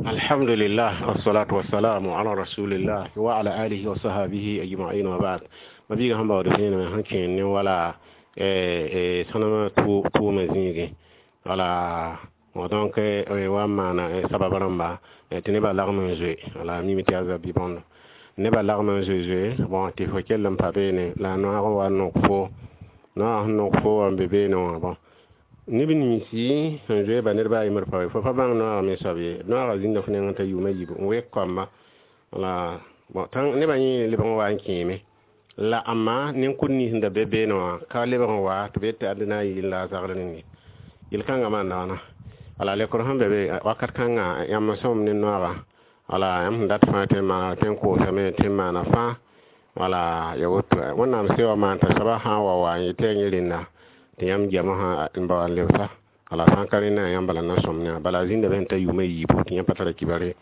Alhamdulillah, wassalatu wassalamu ala rasulillah wa ala alihi wa sahbihi ajma'in wa ba'd. Mabiiga sẽn baood vẽenemã sẽn kẽer ne wala sõnema tʋʋmã zĩigẽ, wala donc wa n maana sabab rãmba tɩ nebã lagm n zoe. Wala mime tɩ yaa zab bɩ bõndo nebã lagm n zoe zoe. Bon, tɩ fo kell n pa beene la a noaag n wa n nok fo, noaag sẽn nok fo wa n be beene wã. Bon, neb ninsi sẽn zoe ba ned ba a yembr pa fo pa bãng noaag me soab ye. Noaagã zĩnda fo nengẽ t'a yʋʋma yiib n wek koamba. Wala bon, tã nebã yẽ lebg n wa n kẽeme la ãmma nin-kʋd nins sẽn da be beene wã ka lebg n wa tɩ b yet tɩ ad na n yɩl la a zagr rẽnde yel-kãngã maanda wãna. Wala lekr sẽn be be wakat kãngã, yãmb n sõm ne noaagã. Wala yãmb sẽn dat fãa tɩ n maana, tɩ n koosame, tɩ n maana fãa. Wala ya woto, Wẽnnaam se wa maan t'a soabã sã n wa wa n yetɩ yaa yẽ rẽnda tɩ yãmb goamã sã n ba wa n lebsa. Wala sã n ka rẽnda, yãmb bala na sõm ne bala a zĩnda be sẽn ta yʋʋma yiibu tɩ yãmb pa tara kibare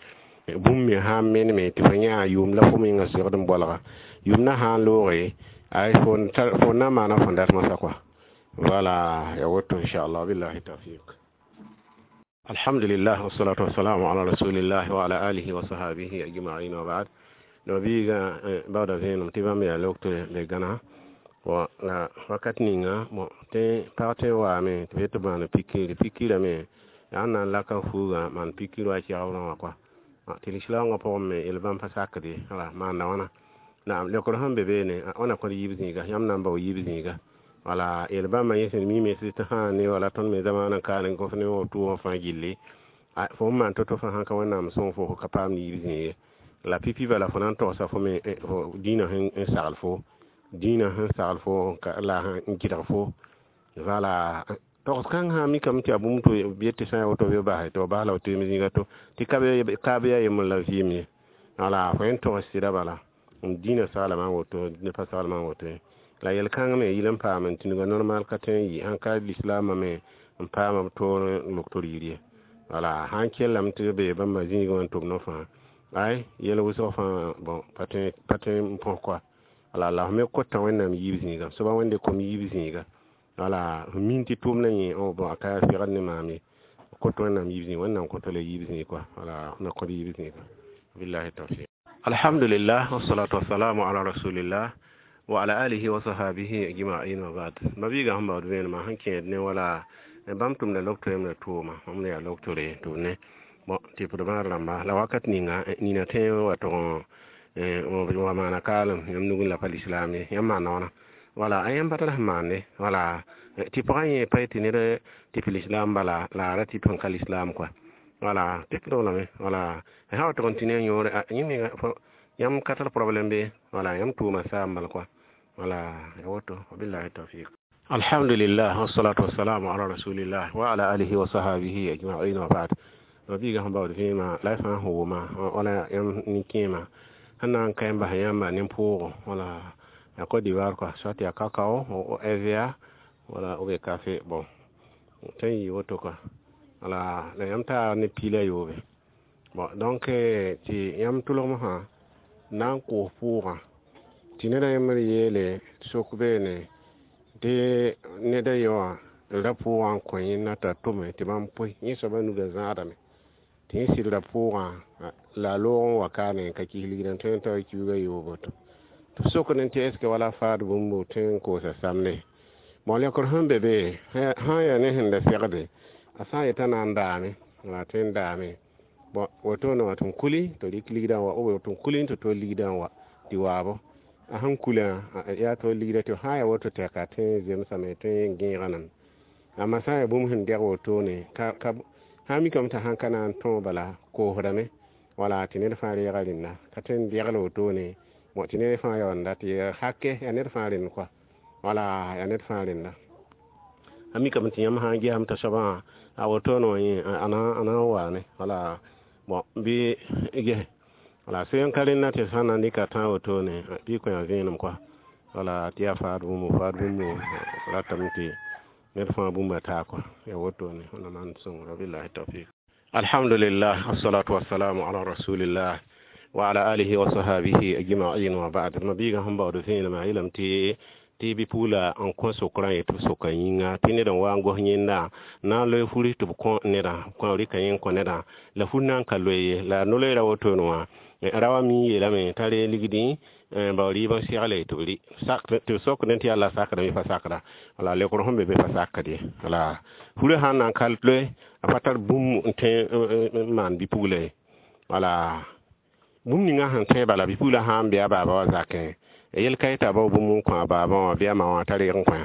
bũmb me sã n meneme tɩ fo yã yʋʋm la fo menga segd n bolga yʋʋm na sã n looge ay fo na n maana fõn dat moasã kɔa. Voilà, ya woto, inchallah, billahi tawfiq. Alhamdulillah, wassalatu wassalamu ala rasulillah wa ala alihi wa sahbihi ajma'in wa ba'd. No biiga baooda vẽenem tɩ bãmb yaa lok tɩ be gãna bon la wakat ninga. Bon, tɩ pag tõe n waame tɩ b yet tɩ b maana pikir, pikirame yaa n na n laka fuugã maan pikir wa kɛgrã wã kɔa tɩ lislaoongã pʋgẽ me yel bãmb pa sakd ye. Wala maanda wãna naam leokr sẽn be beene wãna kõd yiib zĩiga, yãmb na n bao yiib zĩiga. Wala yel bãmba yẽ sẽn mime tɩ sã ne wala tõnd me zamaanã n kaane gõs ne wã tʋʋmã fãa gilli fo n maan to-to fãa sãn ka Wẽnnaam sõng fo, fo ka paam yiib zĩig ye. La pipi bala fo na n togsa fo me fo dĩinã sẽn sagl fo, dĩinã sẽn sagl fo la n gɩdg fo. Wala togs kãng sã mikame tɩ yaa bũmb tɩ b yet tɩ sã n ya woto bɩ b basɛ tɩ b bas la b teem zĩiga to tɩ ka be yaa yembr la vɩɩm ye. Wala fo yẽn togs sɩda bala n dĩinã saglame n woto ne pa saglame n woto ye. La yel-kãng me yɩl n paam n tĩnga normal ka tõe n yɩ sãn ka lislaamã me n paama b toor n lok tɩ r yir ye. Wala sãn kellame tɩ b bee bãmba zĩigẽ wã n tʋm no fãa ay yel wʋsg fãa. Bon, pa tõe n põs kɔa. Wala la f me kota Wẽnnaam yiib zĩiga soaba Wẽnde kom yiib zĩiga. Wala f min tɩ tʋʋmdã yẽ bon, a ka segd ne maam ye, kot Wẽnnaam yiib zĩig, Wẽnnaam kõta la yiib zĩig kɔa. Wala f na kõd yiib zĩiga, billahi tawfiq. Alhamdulillah, wassalatu wassalamu ala rasulillah wa ala alihi wa sahbihi ajma'in wa ba'd. Mabiiga sẽn baood vẽenemã sẽn kẽed ne wala bãmb tʋmda lok toeem la tʋʋma bãmb yaa lok tore tʋ ne. Bon, tɩ p d rãmba la wakat ninga nina tõe n wa tʋg n wa maana kaalem yãmb nugẽ la pa lislaam ye. Yãmb maanda wãna wala a yãmb pa tar sẽn maande. Wala tɩ pagã yẽ pa yetɩ ned tɩ p lislaam bala la a ra tɩ sẽn ka lislaam kɔa. Wala tɩ p lame wala sã wa tʋg n tɩ ne a yõore yẽ menga yãmb ka tar problème be. Wala yãmb tʋʋma saam bal kɔa. Wala ya woto, wabillahi tawfiq. Alhamdulillah, wassalatu wassalamu ala rasulillah wa ala alihi wa sahbihi ajma'in wa ba'd. Mabiiga sẽn baood vẽema la y fãa sẽn wʋma wala yãmb nin-kẽema sẽn na n ka n bas yãmba nin-pʋʋgo. Wala ya Côte d'Ivoire quoi, soit ya cacao ou EVA wala ou bien café. Bon, tõe n yɩ woto quoi. Wala la yãmb taa ne piila yoobe. Bon, donc tɩ yãmb tʋlgm sã na n koos pʋʋgã tɩ neda yembr yeele sok beene tɩ neda ye wã ra pʋʋgã n kõ yẽnda t'a tʋme tɩ bãmb pʋɩ yẽ soabã nugã zãadame tɩ yẽ sɩd ra pʋʋgã la a loog n wa kaane n ka kis ligdã tõe n tao kiuugã yoobo tɩ b sokd tɩ est ce que wala faad bũmb tõe n koosa samde. Bon, lekr sẽn be be sã n yaa ne sẽn da segde a sã n yetã na n daame wala tõe n daame. Bon, wotone wã tɩ m kuli tɩ rɩk ligdã wa ou tɩ m kuli tɩ tol ligdã n wa tɩ waabo a sẽn kulã yaa tol ligdã tɩ sã n yaa woto tɛka tõe n zemsame, tõe n gẽega name. Amma sã n yaa bũmb sẽn dɛg wotone ka sã n mikame t'a sãn ka na n tõog bala koosdame wala tɩ ned fãa reega rẽnda ka tõe n degl wotone. Bon, tɩ ned fãa yaoonda tɩ hake yaa ned fãa rẽnd kɔa. Wala yaa ned fãa rẽnda a mikame tɩ yãmb sã n gesame t'a soabã a wotone wã yẽ a na n waane. Wala bon, bɩ ges wala sẽn ka rẽnda tɩ sã n na n dɩka tã wotone bɩ kõ ya vẽenem kɔa. Wala tɩ yaa faad bũmb, faad bũmb ratame tɩ ned fãa bũmba taa kɔa ya wotone. Wẽnnaam n sõngra, billahi tawfiq. Alhamdulillah, wassalatu wassalamu ala rasulillah wa ala alihi wa sahbihi ajma'in wa ba'd. Mabiiga sẽn baood vẽenemã yeelame tɩ Tɩ bi-pugla n kõ sokrã yetɩ b soka yĩnga tɩ ned n wa n gos yẽnda na n loe furi tɩ b kõ nedã rɩka yẽ n kõ nedã la fur na n ka loe ye la no-loeera wotone wã ra wa mi yeelame t'a reeg ligdi bao rɩɩb n segle tɩ b rɩ tɩ b sokdẽ tɩ yaa la sakda bɩ pa sakda wala leokr sẽn be be pa sakd ye wala furã sãn na n ka loe a pa tar bũmb n tõe n maan bi-pugla ye wala bũmb ninga sẽn tõe bala bi-pugla sã n be a baaba wã zakẽ yel ka yeta bao bũmb n kõ a baabã wã bɩ a ma wã t'a reeg n kõ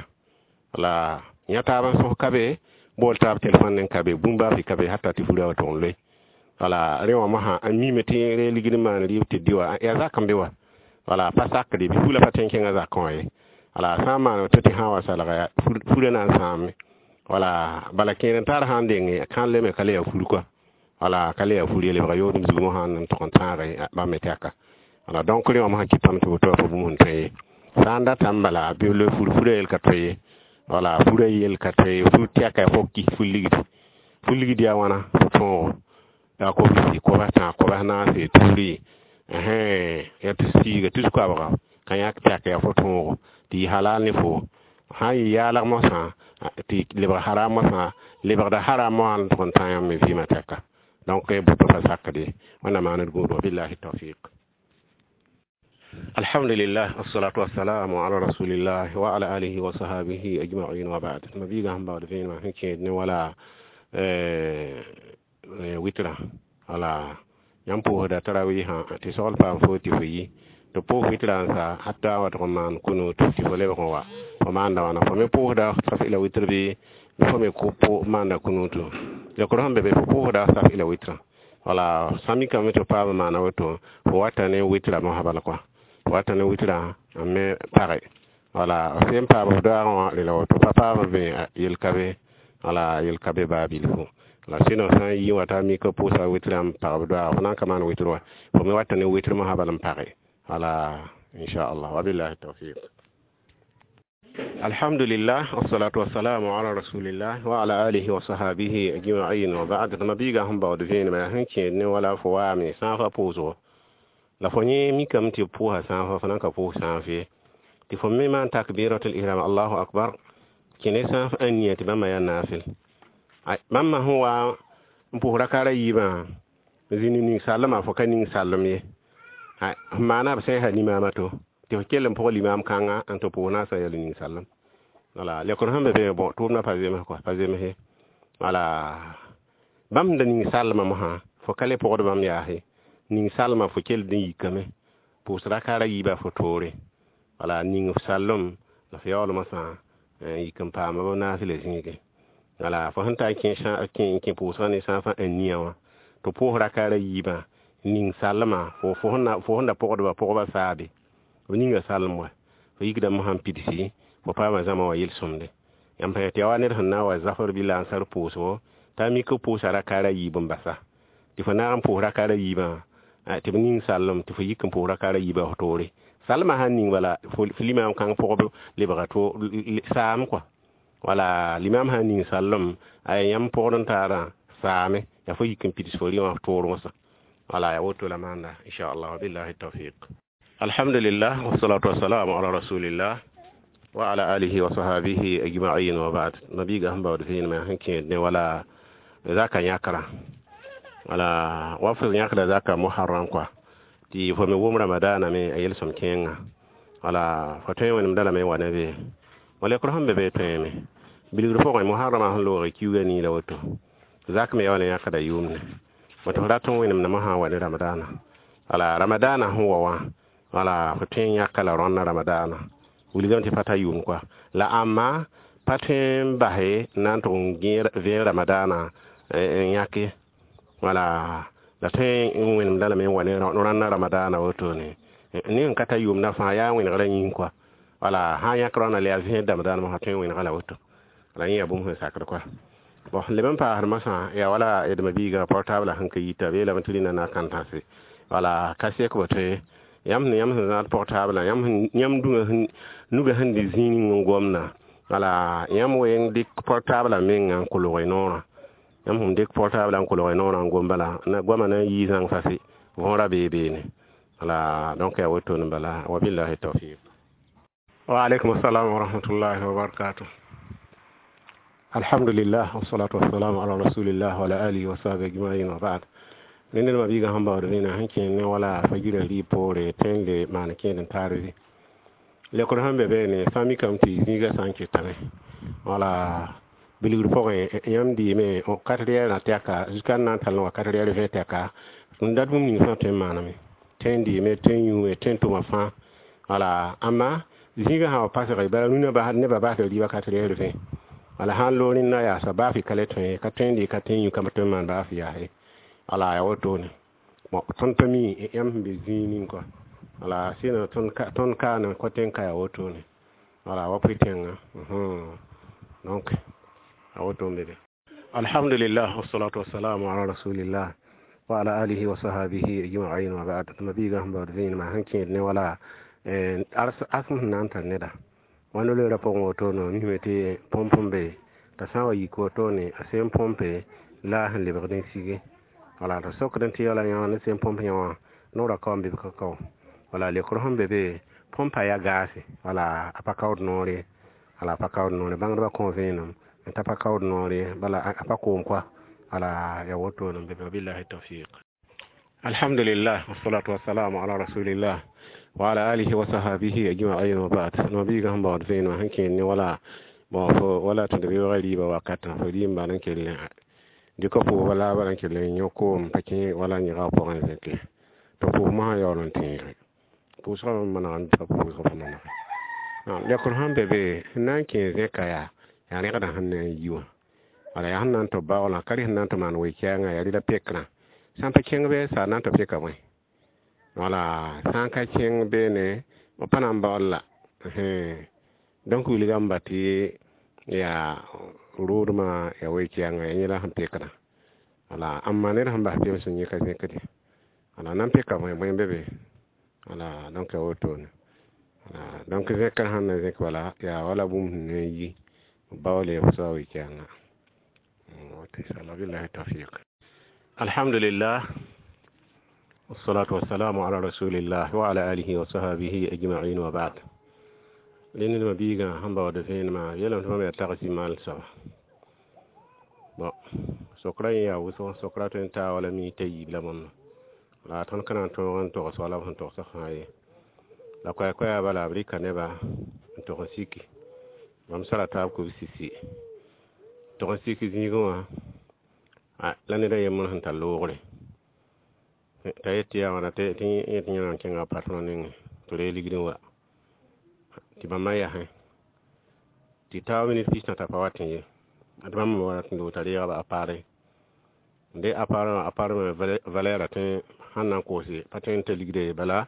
wala yã taab n sõs ka be bool taab telefon n ka be bũmb baa fɩ ka be hata tɩ furã wa tʋg n loe wala rẽ wã mosã a miime tɩ reeg ligd n maan rɩɩb tɩ dɩ wa yaa zak n be wa wala pa sakde bi-pugla pa tõe n kẽngã zakẽ wã ye wala sã n maan woto tɩ sã n wa salga furã na n sãame wala bala kẽer n tar sã n denge kãlle me ka le yaa fur kɔa wala ka le yaa fur ye lebga yoodem zug mosã n tʋg n tãage bãmb me tɛka wala donc rẽ wã mosã kɩtame tɩ woto wã pa bũmb sẽn tõe ye sã n datame bala bɩ loe fur furã yel ka tõe ye wala furã yel ka tõe ye fur tɛka fo kis fur ligdi fur ligd yaa wãna fo tõogo yaa kobsi kobs tã kobs naase turi yaa tɩ siiga tus koabga ka yãk tɛk yaa fo tõogo tɩ yɩ halal ne fo sã n yɩ yaalg mosã tɩ lebg haram mosã lebgda haram mosã n tʋg n tã yãmb me vɩɩmã tɛka donc bʋto pa sakd ye wẽnnaam maan d gũud wabillahi tawfiq. Alhamdulillah, wassalatu wassalamu ala rasulillah wa ala alihi wa sahabihi ajma'in wa ba'd. Ma biiga sẽn baood vẽenemã sẽn kẽed ne wala witra wala yãmb pʋʋsda tarawɩɩsã tɩ sogl paam fo tɩ fo yi tɩ pʋʋs witra n sa hatta wa tʋg n maan kunut tɩ fo lebg n wa fo maanda wãna fo me pʋʋsda saf ila witr bɩ fo me maanda kunutu lekr sẽn be be fo pʋʋsda saf ila witrã wala sã mikame tɩ paam n maana woto fo wata ne witra mosã bala kɔa fo wata ne witrã n me page wala f sẽn paam f daoogẽ wã rela woto pa paam b yel ka be wala yel ka be baa bilfu la sɩno sã n yi wã t'a mika pʋʋsa witrã n pag b doaag fo na n ka maan witr wa fo me wata ne witr mosã bal n page wala inchallah wabillahi tawfiq. Alhamdulillah, wassalatu wassalamu ala rasulillah wa ala alihi wa sahabihi ajma'in wa ba'd. Ma biiga sẽn baood vẽenemã yaa sẽn kẽed ne wala fo waame sãafã pʋʋsgo la fo yẽ mikame tɩ b pʋʋsa sãafã fo na n ka pʋʋs sãaf ye tɩ fo me maan takbiratul ihram allahu akbar kẽ ne sãaf n nia tɩ bãmba yaa naafɩl bãmba sẽn wa n pʋʋs rakaara yiibã zĩnd ning sallmã fo ka ning sallem ye f maana b sẽn sa limaamã to tɩ f kell n pʋg limaam kãnga n tɩ pʋʋs naasã yaa ning sallem wala lekr sẽn be be bõ tʋʋmdã pa zems kɔa pa zemse wala bãmb da ning sallmã mosã fo ka le pʋgd bãmb yaase ning salmã fo kell n yikame pʋʋs rakaara yiibã fo toore wala ning f sallem la f yaool mosã n yik n paama b naas la zĩige wala fo sẽn ta n kẽ pʋʋsgã ne sãafã n nia wã tɩ pʋʋs rakaara yiibã ning sallmã fo sẽn da pʋgdba pʋgba saabe b ninga sallem wa fo yikda mosã n pidsi fo paama zãma wã yel-sõmde yãmb pa tɩ yaa wa ned sẽn na n wa zafr bɩ la n sar pʋʋsgo t'a mik b pʋʋsa rakaara yiib n basa tɩ fo naag n pʋʋs rakaara yiibã tɩ b ning sallem tɩ fo yik n pʋʋs rakaara yiibã fo toore salmã sãn ning bala fo limaam kãng pʋgb lebga to saam kɔa wala limaam sãn ning sallem a yãmb pʋgd n taarã saame yaa fo yik n pids fo rɩ wã f toor wãsã wala yaa woto la maanda inchallah wabillahi tawfiq. Alhamdulillah, wassalatu wassalamu ala rasulillah wa ala alihi wa sahabihi ajma'in wa ba'd. Nabiga sẽn baood vẽenemã sẽn kẽed ne wala zaka yãkra wala wa f yãkda zaka muharram kɔa tɩ fo me wʋm ramadana me a yel-sõm kẽenga wala fo tõe n wẽnemda lame n wa ne bee wa lekr sẽn be be tõeme bilgr pʋgẽ muharramã sẽn loogre kiuugã nii la woto zak me yaa wala yãkda yʋʋmne woto f rat n wẽnemda mosã n wa ne ramadana wala ramadana sẽn wa wã wala fo tõe n yãka la rõnna ramadana wilgame tɩ pa ta yʋʋm kɔa la ãmma pa tõe n base n na n tʋg n vẽen ramadana n yãke wala la tõe n wẽnemda lame n wa ne rãnna ramadana wotone ne n ka ta yʋʋmdã fãa yaa wẽnegrã yĩng kɔa wala sã n yãk rãnda la yaa vẽed ramadana mosã tõe n wẽnega la woto la yẽ yaa bũmb sẽn sakd kɔa bon leb n paasd mosã yaa wala d mabiigã portable sẽn ka yita b yeelame tɩ rĩnã na n kãn tãse wala ka sek bo tɩ yãmb sẽn yãmb sẽn zãad portable yãmb dũngã nugã sẽn dɩ zĩig ning n gomda wala yãmb weng dɩk portable menga n kolg y noorã yãmb sẽn dɩk portable n kolg y noorã n gom bala goamã na n yii zãng fase võora bee beene wala donc yaa wotone bala wabillahi tawfiq. Wa alaikum assalam wa rahmatullahi wa barakatuh. Alhamdulillah, wassalatu wassalamu ala rasulillah wa ala alihi wa sahbihi ajma'in, wa ba'd. Ned ma biiga sẽn baood vẽenã sẽn kẽer ne wala fa gira rɩɩb poore tõe n le maan kẽed n taar bɩ lekr sẽn be beene sã n mikame tɩ zĩigã sã n ketame wala bilgr pʋgẽ yãmb dɩɩme 4 heures tɛka jusqu'à n na n tall n wa 4 heures 20 tɛka n dat bũmb ning fãa tõe n maaname tõe n dɩɩme, tõe n yũume, tõe n tʋma fãa. Wala ãmba zĩigã sã wa pasge bala rũnã nebã basd rɩɩbã 4 heures 20 wala sã n loog rẽnda yaasa baafɩ ka le tõe ka tõe n dɩ ka tõe n yũ ka tõe n maan baafɩ yaase. Wala ya wotone bon tõnd pa mi yãmb sẽn be zĩig ning kɔa wala sɩd tõnd kaane kõ tẽn ka ya wotone wala wa pʋɩ-tẽngã. Donc a woto n be be. Alhamdulillah, wassalatu wassalamu ala rasulillah wa ala alihi wa sahabihi ajma'in, wa ba'd. Tɩ ma-biigã sẽn baood vẽenemã sẽn kẽed ne wala arsem sẽn na n tar neda wãnd loeerã pʋgẽ wotone misme tɩ põmp n be t'a sã n wa yik wotone a sẽn põmpe la a sẽn lebgd n sige wala tɩ sokd tɩ wala yã ne sẽn põmp yã wã noorã kaoom bɩ b ka kao wala lekr sẽn be be põmpa yaa gaase wala a pa kaood noor ye wala a pa kaood noor ye bãngdbã kõ vẽenem t'a pa kaood noor ye bala a pa koom koa wala ya wotone n be be. Billahi tawfiq. Alhamdulillah, wassalatu wassalamu ala rasulillah wa ala alihi wa sahabihi ajma'in, wa ba'd. No biiga sẽn baood vẽenemã sẽn kẽer ne wala bon fo wala tɩ d beoogã rɩɩbã wakatã fo rɩɩm n kell dɩka pʋʋsba laabã n kell n yõ koom pa kẽ wala yẽga pʋgẽ zẽke tɩ pʋʋs mosã yaool n tẽege pʋʋsgã n maneg n pa pʋʋsg fo manege lekr sẽn be be sẽn na n kẽ zẽka yaa rẽgdã sẽn na n yi wã wala yaa sẽn na n tɩ baoolã ka rẽ sẽn na n tɩ maan we-kɛɛngã yaa rɩla pekrã sã n pa kẽng bɩ sa na n tɩ peka bõe wala sã n ka kẽng beene b pa na n baool la. Donc wilgame tɩ yaa roodmã yaa we-kɛɛngã yaa yẽla sẽn pekdã wala ãmba ned sẽn bas pems n yẽ ka zẽkde wala na n peka bõe bõe be be wala. Donc ya wotone wala donc zẽkr sẽn na zẽk bala yaa wala bũmb sẽn na n yi baoole f soa we-kɛɛngã woto inshallah. Billahi tawfiq. Alhamdulillah, wassalatu wassalamu ala rasulillah wa ala alihi wa sahabihi ajma'in, wa ba'd. Rẽnd ma biigã sẽn baood vẽenemã yeelame tɩ bãmb yaa tagsi maal soaba bon sokra yẽ yaa wʋsg sokra tõe n taa wala mi t'a yiib la bõndo la tõnd ka na n tõog n togs wala b sẽn togsã fãa ye la koɛɛ-koɛɛga bala b rɩka neba n tog n siki bãmb sara taab kub sisi tog n sik zĩigẽ wã la ned a yembr sẽn tar loogre t'a yet tɩ yaa wãna tɩ yẽ tɩ yẽ n kẽnga a patron nengẽ tɩ reeg ligd n wa tɩ bãmba yasẽ tɩ taoog minit pis tã pa wat n ye tɩ bãmb me wa tɩ t'a reega a appareil de appareil wã appareil wã valeur a tõe sãn na n koose pa tõe n ta ligda ye bala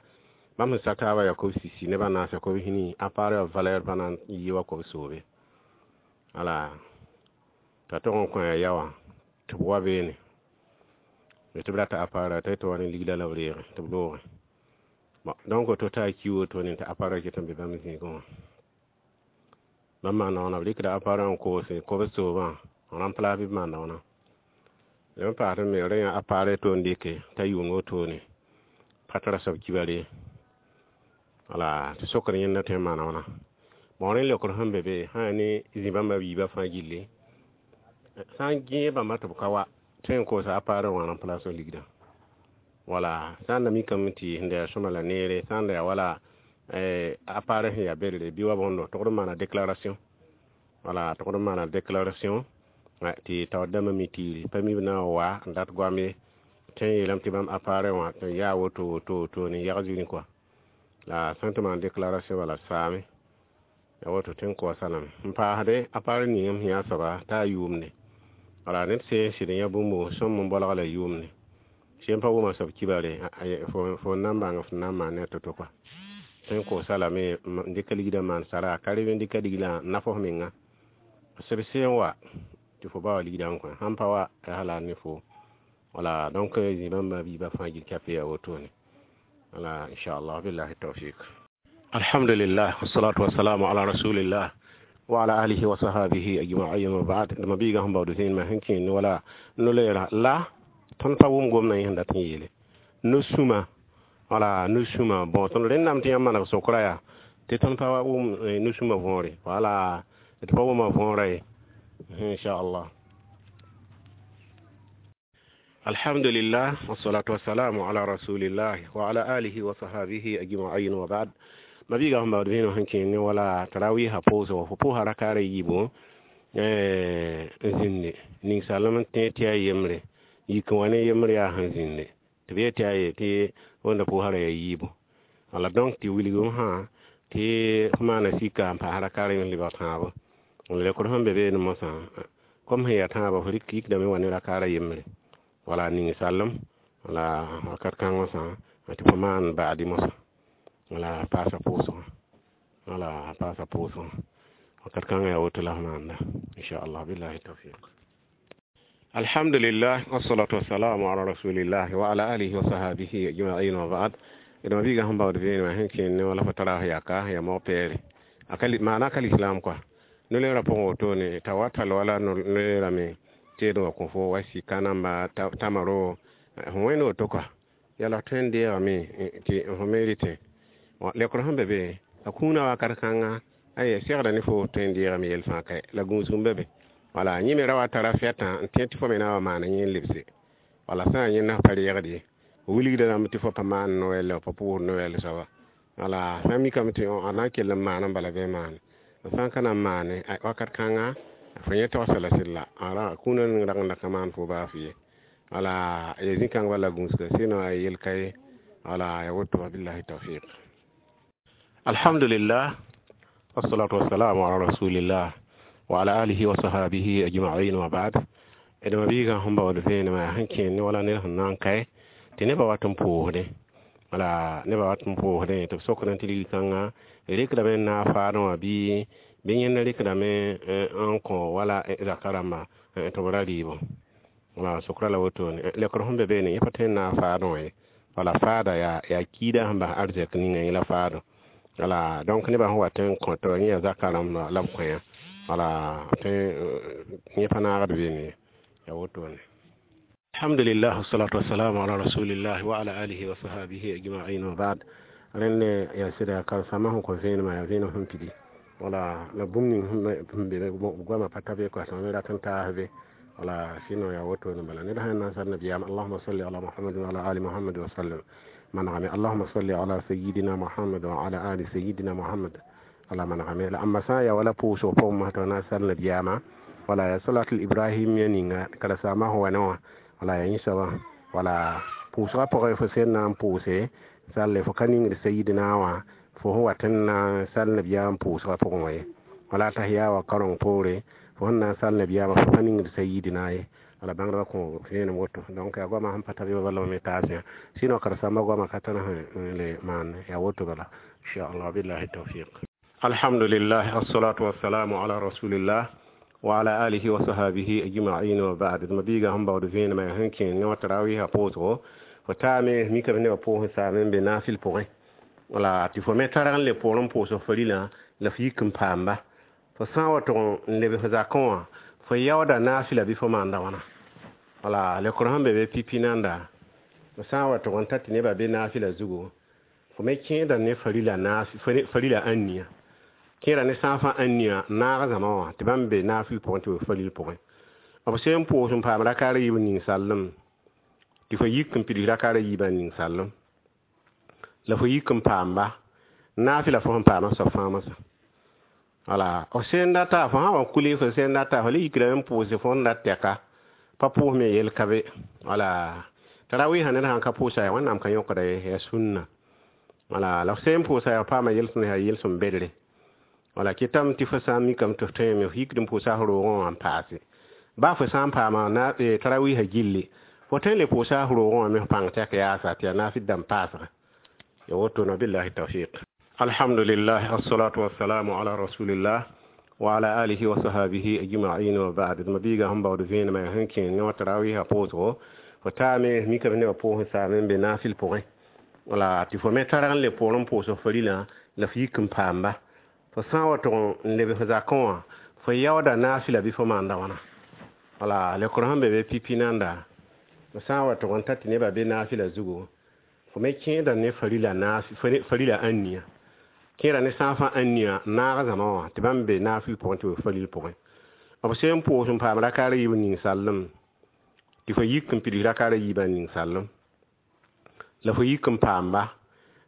bãmb sẽn sak taabã yaa kob sisi nebã naasa kob hinii appareil wã valeur pa na n yɩ wa kob soobe wala t'a tog n kõ a ya wã tɩ b wa beene tɩ b rata appareil t'a tɩ wa ne ligda la b reege tɩ b loogẽ bon donc to t'a ki wotone tɩ appareil ket n be bãmb zĩigẽ wã bãmb maanda wãna b rɩkda appareil n koose kob soobã n remplace bɩ b maanda wãna lem paasd me rẽ yã appareil to n dɩke t'a yʋng wotone pa tara soab kibare wala tɩ sokr yẽnda tõe n maana wãna bon rẽ leokr sẽn be be sã yaa ne zĩ bãmba biibã fãa gilli sã n gẽeg bãmba tɩ b ka wa tõe n koosa appareil wã remplace ligdã wala sã n da mikame tɩ sẽn da yaa sõma la neere sã n da yaa wala appareil sẽn yaa berre bɩ wa bõndo togd n maana déclaration wala togd n maana déclaration tɩ taoor dãmbã mi tiiri pa mi b na n wa n dat goam ye tõe n yeelame tɩ bãmb appareil wã tɩ yaa woto woto woto ne yag zĩni kɔa la sã n tɩ maan déclaration bala saame ya woto tõe n koasa lame n paasde appareil ning m sẽn yaa soaba t'a yʋʋmde wala ned sẽn sɩd n yã bũmbo sõm n bolg la yʋʋmde sẽn pa wʋma soab kibare fo n na n bãng f na n maan ne a to-to kɔa tõe n koosa lame n dɩka ligdã maan sara ka reb n dɩka liglã n naf f menga seb sẽn wa tɩ fo ba wa ligdã n kõ sãn pa wa yaa la ne fo wala donc zĩ bãmba biibã fãa gil kape yaa wotone wala inchallah. Billahi tawfik. Alhamdulillah, wassalatu wassalamu ala rasulillah wa ala alihi wa sahabihi ajma'in, wa ba'd. Dama biiga sẽn baood zĩig sẽn kẽer wala no-loeera la tõnd pa wʋm gomdã yẽ sẽn dat n yeele no-sũma wala no-sũma bon tõnd rẽndame tɩ yãmb maneg sokra yaa. Tɩ tõnd pa wa wʋm nu-sũmbã võore, wala d pa wʋma võorã ye, inchallah. Alhamdulillah, wassalatu wassalamu ala rasulillah wa ala alihi wa sahabihi ajma'in wa ba'd. Mabiga sẽn baood vẽenem sẽn kẽng ne wala tarawiisã pʋʋsgo, fo pʋʋsa rakaara yiibu n zĩndi ninsalem n tẽ tɩ yaa yembre, yik n wa ne yembre yaa sẽn zĩndi tɩ b yet tɩ yaa ye tɩ wẽnda pʋʋsã ra yaa yiibu. Wala donc tɩ wilgem sã tɩ f maana sika n paas rakaara yẽ lebg tãabo. Lekr sẽn be beene mosã, kom sẽn yaa tãabã, f rɩk yikdame wa ne rakaara yembre, wala ning-sallem, wala wakat kãng mosã tɩ fo maan baadi mosã, wala paasa pʋʋsgã, wala paasa pʋʋsgã wakat kãngã yaa woto la f maanda, inchallah, billahi tawfiq. Alhamdulillah, wassalatu wassalamu ala rasulillah wa ala alihi wa sahabihi ajma'in wa ba'd. D mabiigã sẽn baood vẽenemã sẽn kẽnd ne wala fo tara yaka ya mog peere maana ka lislaam kɔa no-leerã pʋgẽ wotone t'a wa tall wala no-leerame teed wã kõ fo wa sika namba tamaro fo wẽnd woto kɔa yala tõe n deegame tɩ fo me rɩtẽ lekr sẽn be be a kũunã wakat kãnga ay segda ne fo tõe n deegame yel fãa ka la gũusg n be be, wala yẽ me ra wa tara fɛtã n tẽ tɩ fo me na wa maana yẽ n lebse, wala sã n yẽnda f pa reegd ye, wilgda rãmb tɩ fo pa maan noɛl, pa pʋʋs noɛl soaba, wala sã n mikame tɩ a na n kell n maana bala bɩ maane, sã n ka na n maane wakat kãnga fo yẽ togsa la sɩd la a kũunã ning rag n da ka maan fo baaf ye, wala ya zĩ-kãng bala gũusga sɩno a yel ka ye, wala ya woto, billahi tawfiq. Alhamdulillah, wassalatu wassalamu ala rasulillah wa ala alihi wa sahabihi ajma'in wa ba'd. D mabiigã sẽn baood vẽenemã sẽn kẽend ne wala ned sẽn na n kae tɩ nebã wat n pʋʋsdẽ, wala nebã wat n pʋʋsdẽ tɩ b sokdã tɩ ligkãngã rɩkdame n naag faadẽ wã bɩ yẽnda rɩkdame n kõ wala zaka rãmba tɩ b ra rɩɩbõ, wala sokra la wotone. Lekr sẽn be beene yẽ pa tõe n naag faadẽ wã ye, wala faada yaa kiida sẽn bas arzɛk ninga yẽ la faadẽ, wala donc nebã sẽn wat n kõ tɩ yẽ yaa zaka rãmba la b kõ yã, wala tõe yẽ pa naagd beene ye, yaa wotone. Alhamdulillah, wassalatu wassalamu ala rasulillah wa ala alihi wa sahabihi ajma'in wa ba'd. Rẽnd yaa sɩda karen-saambã sẽn kõ vẽenemã yaa vẽenem sẽn pidi, wala la bũmb ning sẽn be goamã pa ta be kɔa tɩ me rat n taas be, wala sɩno yaa wotone bala ned sã n na n sal nabiyaam allahuma salli ala muhammad wa ala ali muhammad wa sallam manegame, allahuma salli ala sayidina muhammad wa ala ali sayidina muhammad ala manegame. La ãmba sã n yaa wala pʋʋsg pʋgẽ mosã tɩ na n sal nabiyaamã, wala yaa salatul ibrahim ya ninga karen-saambã sẽn wa ne wã, wala yaa yẽ soabã, wala pʋʋsgã pʋgẽ fo sẽn na n pʋʋse salle fo ka ningd sayidina wã fo sẽn wat n na n sal nabiyaam pʋʋsgã pʋgẽ wã ye, wala tahiya wa kareng poore fo sẽn na n sal nabiyaamã fo pa ningd sayidina ye, wala bãngdbã kõ vẽenem woto. Donc yaa goamã sẽn pa tar yʋba bala me taas yã, sɩno karen-saambã goamã ka tar sẽn le maan yaa woto bala, inchallah, billahi tawfiq. Alhamdulillah, wassalatu wassalamu ala rasulillah wa ala alihi wa sahabihi ajma'in wa ba'd. D mabiigã sẽn baood vẽenemã yaa sẽn kẽeng ne wã tarawiisã pʋʋsgo, fo taame mikame nebã pʋʋs n saame n be naafɩl pʋgẽ, wala tɩ fo me targ n le poor n pʋʋs f rilã la f yik n paamba, fo sã n wa tʋg n lebs f zakẽ wã fo yaooda naafɩla bɩ fo maanda wãna, wala lekr sẽn be be pipi nanda, fo sã n wa tʋg n ta tɩ nebã be naafɩla zugu, fo me kẽeda ne farila ãnnia, kẽeda ne sã n fãa ãnnia n naag zãma wã tɩ bãmb be naafɩl pʋgẽ tɩ b faril pʋgẽ, b sẽn pʋʋs n paam rakaara yiib ning-sallem tɩ fo yik n pids rakaara yiibã ning-sallem la fo yik n paamba naafɩla fo sẽn paamã soab fãa mosã, wala f sẽn data fo sã wa kule fo sẽn data fo le yikdame n pʋʋse fo n dat tɛka pa pʋʋs me yel ka be, wala tarawiisã ned sãn ka pʋʋsa yaa wẽnnaam ka yõkda ye, yaa sũnna, wala la f sẽn pʋʋsa yaa paama yel-sõm yaa yel-sõm bedre, wala kɩtame tɩ fo sã n mikame tɩ f tõeme f yikd n pʋʋsa f roogẽ wã n paase baa fo sã n paama tarawiisã gilli fo tõe n le pʋʋsa f roogẽ wã me f pãng tɛk yaasa tɩ yaa naafɩd dãmb paasga, ya wotone, billahi tawfiq. Alhamdulillah, wassalatu wassalamu ala rasulillah wa ala alihi wa sahabihi ajma'in wa ba'd. D mabiigã sẽn baood vẽenemã yaa sẽn kẽeng ne wã tarawiisã pʋʋsgo, fo taame mikame nebã pʋʋs n saame n be naafɩl pʋgẽ, wala tɩ fo me targ n le poor n pʋʋs f rilã la f yik n paamba, fo sã n wa tʋg n lebs f zakẽ wã fo yaooda naafɩla bɩ fo maanda wãna, wala lekr sẽn be be pipi nanda, fo sã n wa tʋg n ta tɩ nebã be naafɩla zugu, fo me kẽeda ne farila ãnnia, Kẽera ne sã n fãa ãn nia n naag zãma wã tɩ bãmb be naafɩl pʋgẽ tɩ b falil pʋgẽ. B sẽn pʋʋs n paam rakaar a yiib n ning sallem, tɩ fo yik n pids rakaar a yiibã n ning sallem, la fo yik n paamba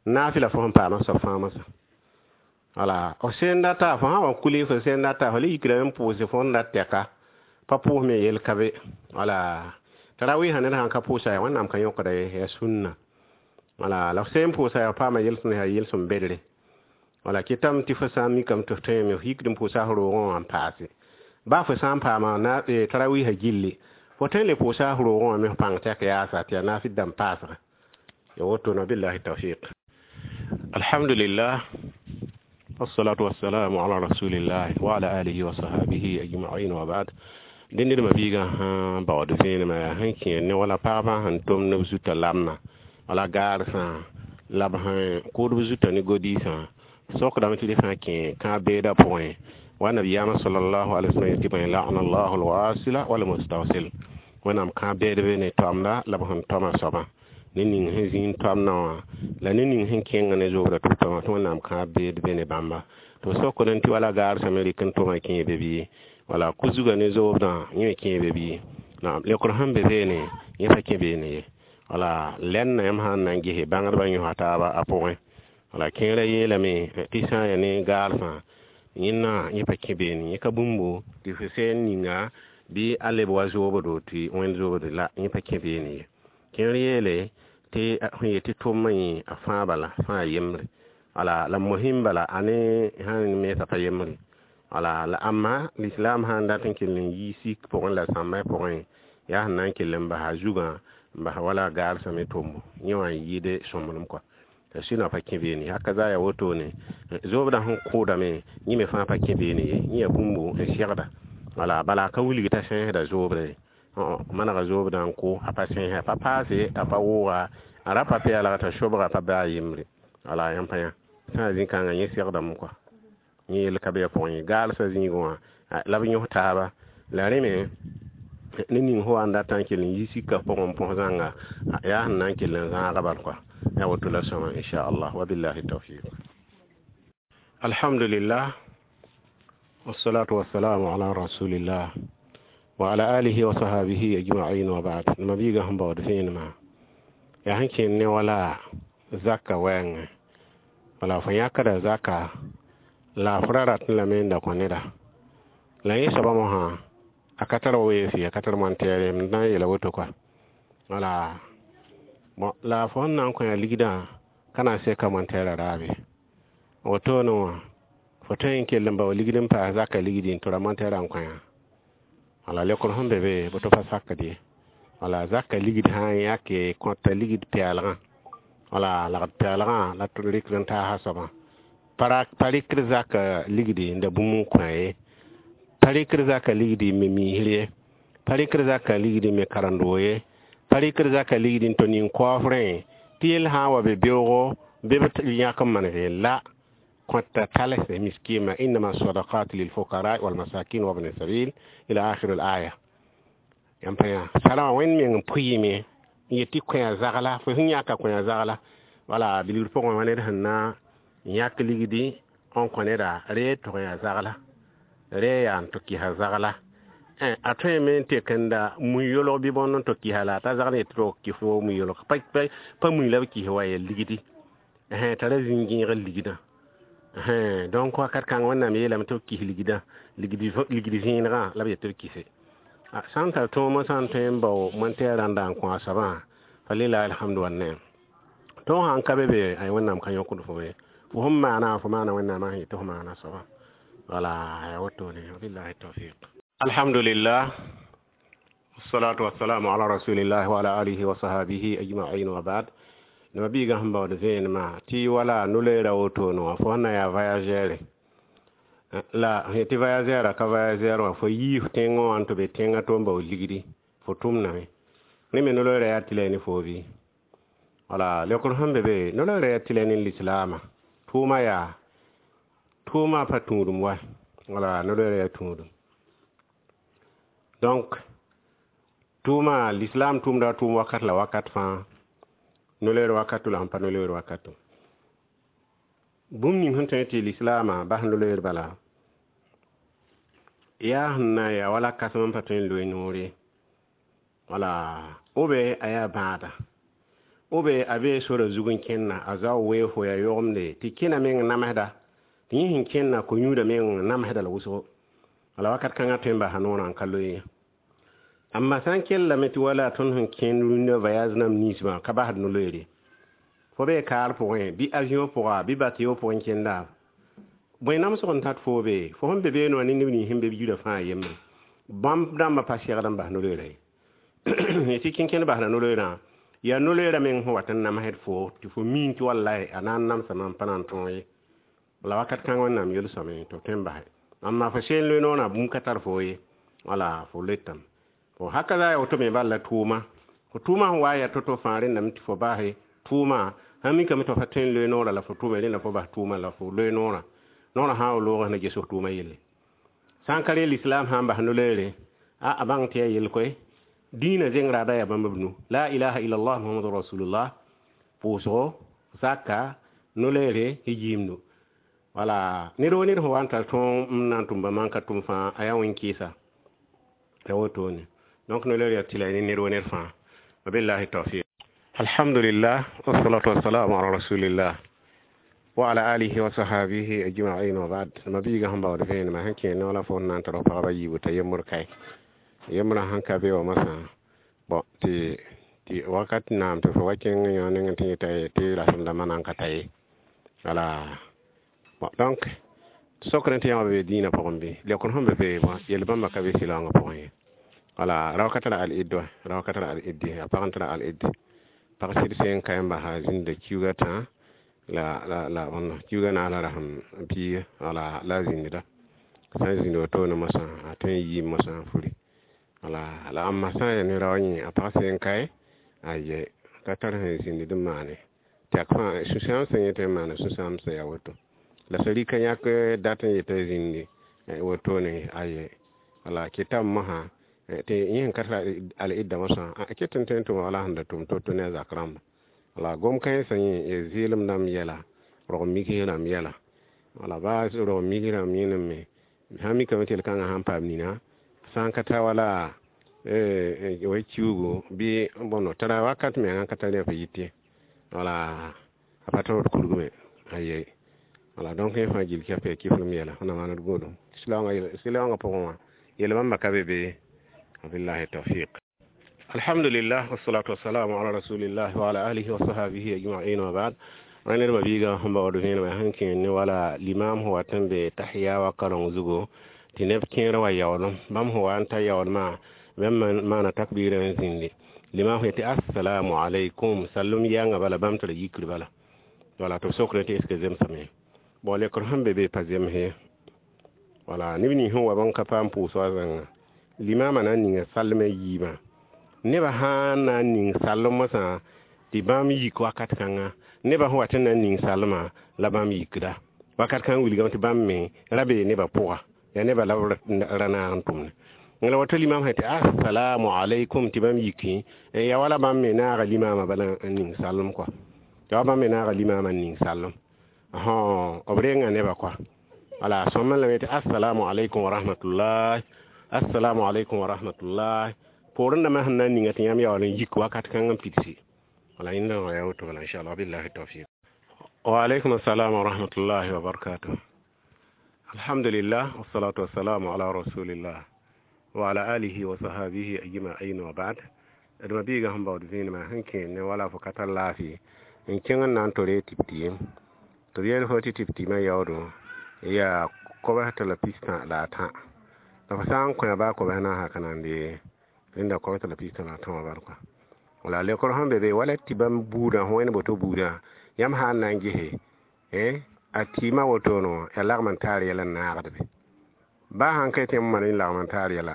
naafɩla fo sẽn paama soab fãa moasã. Wala f sẽn data, fo sã n wa kule, fo sẽn data, fo le yikdame n pʋʋse fo sẽn dat tɛka, pa pʋʋs me yel ka be. Wala tarawɩɩsã ned sãn ka pʋʋsa yaa Wẽnnaam ka yõkda ye, yaa sũnna. Wala la f sẽn pʋʋsa yaa paama yel-sõmd, yaa yel-sõm bedre. Wala kɩtame tɩ fo sã n mikame tɩ f tõeme, f yikd n pʋʋsa f roogẽ wã n paase. Baa fo sã n paama na tarawɩɩsã gilli, fo tõe n le pʋʋsa f roogẽ wã me f pãng tɛk yaasa tɩ yaa naafɩl dãmb paasga. Ya wotone, billahi tawfiq. Alhamdulillah, wassalatu wassalamu ala rasulillah wa ala alihi wa sahbihi ajma'in wa ba'd. Dẽnd d mabiigã sã baood vẽenemã yaa sẽn kẽer ne wala pagbã sẽn tʋmd b zutã lamna wala gaarsã la b sẽn kʋʋd b zutã ne godiisã, sokdame tɩ d sã kẽ kãab-beedã pʋgẽ. Wa nabiyaamã sallallahu alaihi wasallam yetɩ bõe: la'ana llahu alwasila walmustawsil. Wẽnnaam kãab-beedb ne toamda la b sẽn toama soabã, ne ning sẽn zĩnd toamdã wã la ne ning sẽn kẽng ne zobrã tɩ b toama, tɩ Wẽnnaam kãab-beed be ne bãmba. Tɩ b sokd tɩ wala gaarsã me rɩk n tʋma kẽe be bɩ, wala ku-zugã ne zoobdã yẽ me kẽe be bɩ? Naam, leokr sẽn be beene, yẽ pa kẽ beene ye. Wala lɛnna yãmb sã n na n gese bãngdbã yõsa taaba a pʋgẽ. Wala kẽerã yeelame tɩ sã n yaa ne gaarsã, yẽnna yẽ pa kẽ beene, yẽ ka bũmbo tɩ f sẽn ninga bɩ a leb wa zoobdo tɩ wẽnd zoobdo la, yẽ pa kẽ beene ye. Kẽer yeele tɩ sẽn yet tɩ tʋmã yẽ a fãa bala, fãa yembre. Wala la mosɩm bala a ne sãn mensa pa yembre. Wala la ãmba lislaam sã n dat n kell n yi sik pʋgẽ la sãmbã pʋgẽ, yaa sẽn na n kell n basa zugã n bas wala gaarsã me tʋmbo, yẽ wã n yɩɩd sõmblem kɔa. La sĩnã pa kẽ beene. Haka za yaa wotone, zoobdã sẽn kʋʋdame, yẽ me fãa pa kẽ beene ye, yẽ yaa bũmbo n segda. Wala bala a ka wilg t'a sẽesda zoobre, manega zoobdã n kʋ, a pa sẽesa, a pa paase, a pa wʋʋga, a ra pa peelga t'a sobga pa baa yembre. Wala yãmb pa yã sã n zĩ-kãngã yẽ segdame kɔa, yẽ yel ka be a pʋgẽ ye. Gaalsã zĩigẽ wã la b yõs taaba la rẽ me ne ning fo wa n datã n kell n yi sika pʋgẽ n põs zãnga, yaa sẽn na n kell n zãaga bal kɔa. Ya woto la sõma, inchallah, wa billahi tawfiq. Alhamdulillah, wassalatu wassalamu ala rasulillah wa ala alihi wa sahbihi ajma'in wa ba'd. Mabiigã sẽn baood vẽenemã yaa sẽn kẽnd ne wala zaka wɛɛngẽ. Wala fo yãkda zaka la f ra ratẽ lame n da kõ neda, la yẽ soabã mosã a ka tar weefɩ, a ka tar montɛɛre, m na n yeela woto kɔa. Wala bon, la fo sẽn na n kõ ya ligdã ka na n seka montɛɛrã raabe wotone wã, fo tõe n kell n bao ligd n paas zaka ligdi n tʋra montɛɛrã n kõ yã. Wala leokr sẽn be be boto pa sakd ye. Wala zaka ligd sã n yãke kõta ligd pɛɛlgã, wala lagd pɛɛlgã la tɩ rɩkd n taasa soabã, pa rɩkd zaka ligdi n da bũmb n kõ ye, pa rɩkd zaka ligdi n me miisr ye, pa rɩkd zaka ligdi n me karen-doog ye, pa rɩkd zaka ligdi n tɩ ning kaoofrẽ tɩ yell sã n wa be beoogo bɩ b yãk n maneg la kõta talse miskima, innama sadakat lilfukara walmasakin wabni sabil ila akhir al aya. Yãmb pa yã sara wã Wẽnd meng n pʋɩɩme n yet tɩ kõ zagla, fo sẽn yãka kõ zagla. Wala bilgr pʋgẽ wã ned sẽn na n yãk ligdi n kõ neda, ree tʋg yaa zagla, ree yaa n tɩ kɩsa zagla. A tõeme n tek n da mui-yolg bɩ bõnd n tɩ kɩsa la t'a zagl yetɩ tɩ kɩs fo mui-yolg, pa mui la b kɩs wa ya ligdi t'a ra zĩn-gẽeg ligdã. Donc wakat kãng Wẽnnaam yeelame tɩ b kɩs ligdã, ligd vẽenegã la b yet tɩ b kɩse. Sã n tar tõomã sã n tõe n bao montɛɛrã n da n kõ a soabã, falilahi alhamdu wanneem. Tõog sã n ka be be, ay, Wẽnnaam ka yõkd fo ye, fo sẽn maana, fo maana Wẽnnaamã sẽn yetɩ fo maana soabã. Wala ya wotone, wabillahi tawfiq. Alhamdulillah, wassalatu wassalamu ala rasulillah wa ala alihi wa sahbihi ajma'in wa ba'd. Nima biigã sẽn baood vẽenemã tɩ wala no-loeera wotone wã, fo sẽn na yaa voyageur la sẽn tɩ voyageur ka voyageur wã, fo yii f tẽngẽ wã n tɩ be tẽngã tɩ n bao ligdi, fo tʋmdame, rẽ me no-loeera yaa tɩ la ne foo bɩ? Wala leokr sẽn be be, no-loeera yaa tɩ la ne lislaamã tʋʋma, yaa tʋʋmã pa tũudum wa. Wala no-loeera yaa tũudum. Donc tʋʋma, l'islam tʋʋmda tʋʋm wakat la wakat fãa, no-loeer wakato la sẽn pa no-loeer wakato. Bũmb ning sẽn tõe tɩ lislaamã bas no-loeer bala yaa sẽn na n yaa wala kãsem n pa tõe n loe noor ye. Wala b a yaa bãada, b a bee sora zug n kẽnna, a zao weoog fo yaa yogemde tɩ kẽna meng namsda, tɩ yẽ sẽn kẽnna ko-yũudã meng namsda la wʋsgo. Wala wakat kãngã tõe n basa noorã n ka loe ye. Amma sã n kellame tɩ wala tõnd sẽn kẽnd rũndã voyage namba ninsbã ka basd no-loeer ye. Fo bee kaar pʋgẽ, bɩ avion pʋga, bɩ bateau pʋgẽ kẽnda, bõe namsg n tat foo be? Fo sẽn be beene wã ne neb nins sẽn be b yirã fãa yembre, bãmb dãmbã pa segd n bas no-loeerã ye. Tɩ kẽnkẽnd basda no-loeerã, yaa no-loeerã meng sẽn wat n namsd fo tɩ fo miin tɩ wallai a na n namsa mam pa na n tõog ye. La wakat kãng Wẽnnaam yel-sõame tɩ f tõe n base. Amma fo seen loe noorã bũmb ka tar foo ye. Wala fo letame. Fo haka za ya woto me bal la tʋʋma. Fo tʋʋma sẽn wa n yaa to-to fãa rẽndame tɩ fo base tʋʋma, sãn mikame tɩ fo pa tõe n loe noorã la fo tʋʋme, rẽnda fo bas tʋʋma la fo loe noorã. Noorã sã n wa loogã na ges f tʋʋma yelle. Sã n ka rẽ lislaam sã n bas no-loeere, a bãng tɩ yaa yel koe. Dĩinã zeng raada yaa bãmb b nu. La ilaha illallah Muhammadu rasulullah, pʋʋsgo, zaka, no-loeere, yiimdu. Wala ned wo ned sẽn wa n tar tõog n na n tʋm bãmb n ka tʋm fãa, a yaa wẽn-kɩɩsa. Ya wotone. Donc no-loeer yaa tɩ la ne ned wo ned fãa. Wabillahi tawfiq. Alhamdulillah, wassalatu wassalamu ala rasulillah wa ala alihi wa sahabihi ajma'in wa ba'd. Mabiiga sẽn baood vẽenemã sẽn kẽ no la fo na n tar pagba yiibu t'a yembr kae. Yembrã sẽn ka be wã masã, bõ tɩ tɩ wakat naam tɩ fo wa kẽng yõ nengẽ tɩ yẽta tɩ rasem dãmbã na n ka ta ye. Wala bon, donc sokr tɩ yãmb be dĩinã pʋgẽ bɩ lekr sẽn be be yel bãmba ka be sɩlaoongã pʋgẽ ye. Wala rao ka tara al-id wa, rao ka tara al-id, a pag n tara al-id. Pag sɩd sẽn ka yãmba sã zĩnda kiuga tã la la la bõn kiuga naas la rasem piiga, wala la a zĩnda sã n zĩnd wotone mosã a tõe n yiim mosã n furi. Wala la ãmba sã n yaa ne rao yẽ a pag sẽn kae aye ka tar sẽn zĩnd n maane tɛk fãa sũ-sãam sẽn yẽ tõe n maana sũ-sãam sẽn yaa woto. La sã rika yãk dat n yetɩ zĩndi wotone aye. Wala kɩtame mosã tɩ yẽ sẽn ka tara al-idda mosã a ket n tõe n tʋm wala sẽn da tʋm to-to ne a zak rãmba. Wala gom kãensã yẽ zɩɩlem dãmb yɛla, rog mikis rãmb yɛla. Wala baa rog mikis rãmb yẽnem me sã n mikame tɩ yel-kãngã sãn paam nina sã n ka ta wala wa kiugu bɩ bõno tara wakat mengã ka tar rẽ f yɩt ye. Wala a pa tõod kurgu me aye. Wala donc yẽ fãa gill kɛp yaa kiflem yɛla na maan d goodum. Sɩlaoongã pʋgẽ wã yel bãmba ka be be. Wabillahi tawfiq. Alhamdulillah, wassalatu wassalamu ala rasulillah wa ala alihi wa sahbihi ajma'in wa ba'd. Rẽnd d mabiiga sẽn baood vẽenemã sẽn kẽ ne wala limam sẽn wat n be tahiya wa kareng zugu tɩ neb kẽer wa yaoolem, bãmb sẽn wa n ta yaoolmã bãmb maana takbiirã n zĩndi. Limam sẽn yetɩ assalamu alaykum sallem yãnga bala bãmb tɩ ra yikr bala. Wala tɩ b sokre tɩ est ce que zemsame. Bon, lekr sẽn be be pa zems ye. Wala neb nins sẽn wa bãmb ka paam pʋʋs wa zãnga, limamã na n ninga salmã yiibã. Nebã sã n na n ning sallem mosã tɩ bãmb yik wakat kãnga, nebã sẽn wat n na n ning salmã la bãmb yikda. Wakat kãng wilgame tɩ bãmb me ra bee nebã pʋga, yaa nebã la b ra naag n tʋmne. La woto limam sẽn tɩ assalamu alaykum tɩ bãmb yiki, yaa wala bãmb me naaga limamã bala n ning salem kɔa. Yaa wa bãmb me naaga limamã n ning salem. B renga nebã kɔa. Wala sõm lame tɩ assalamu alaykum wa rahmatullah, assalamu alaykum wa rahmatullah. Poorẽ dãmbã sẽn na n ninga tɩ yãmb yaool n yik wakat kãng n pidsi. Wala yẽnda wã yaa woto bala inshallah, billahi tawfiq. Wa alaykum assalam wa rahmatullahi wa barakatuh. Alhamdulillah, wassalatu wassalamu ala rasulillah wa ala alihi wa sahbihi ajma'in wa ba'd. D mabiiga sẽn baood vẽenemã sẽn kẽ ne wala fo ka tar laafɩ n kẽng n na n tore tɩp-tɩɩm. Tɩ b yeel fo tɩ tɩp-tɩɩmã yaoodo yaa kobs tɩ la pistã la a tã. La fo sã n kõ baa kobs naasã ka na n dee rẽnda kobs tɩ la pistã la a tã wã bal kɔa. Wala lekr sẽn be be wala tɩ bãmb buudã sẽn wẽnd boto buudã yãmb sã n na n gese a tɩɩmã wotone wã yaa lagm n taar yɛl n naagd be. Baa sãn ka tɩ yãmb maan lagm n taar yɛla,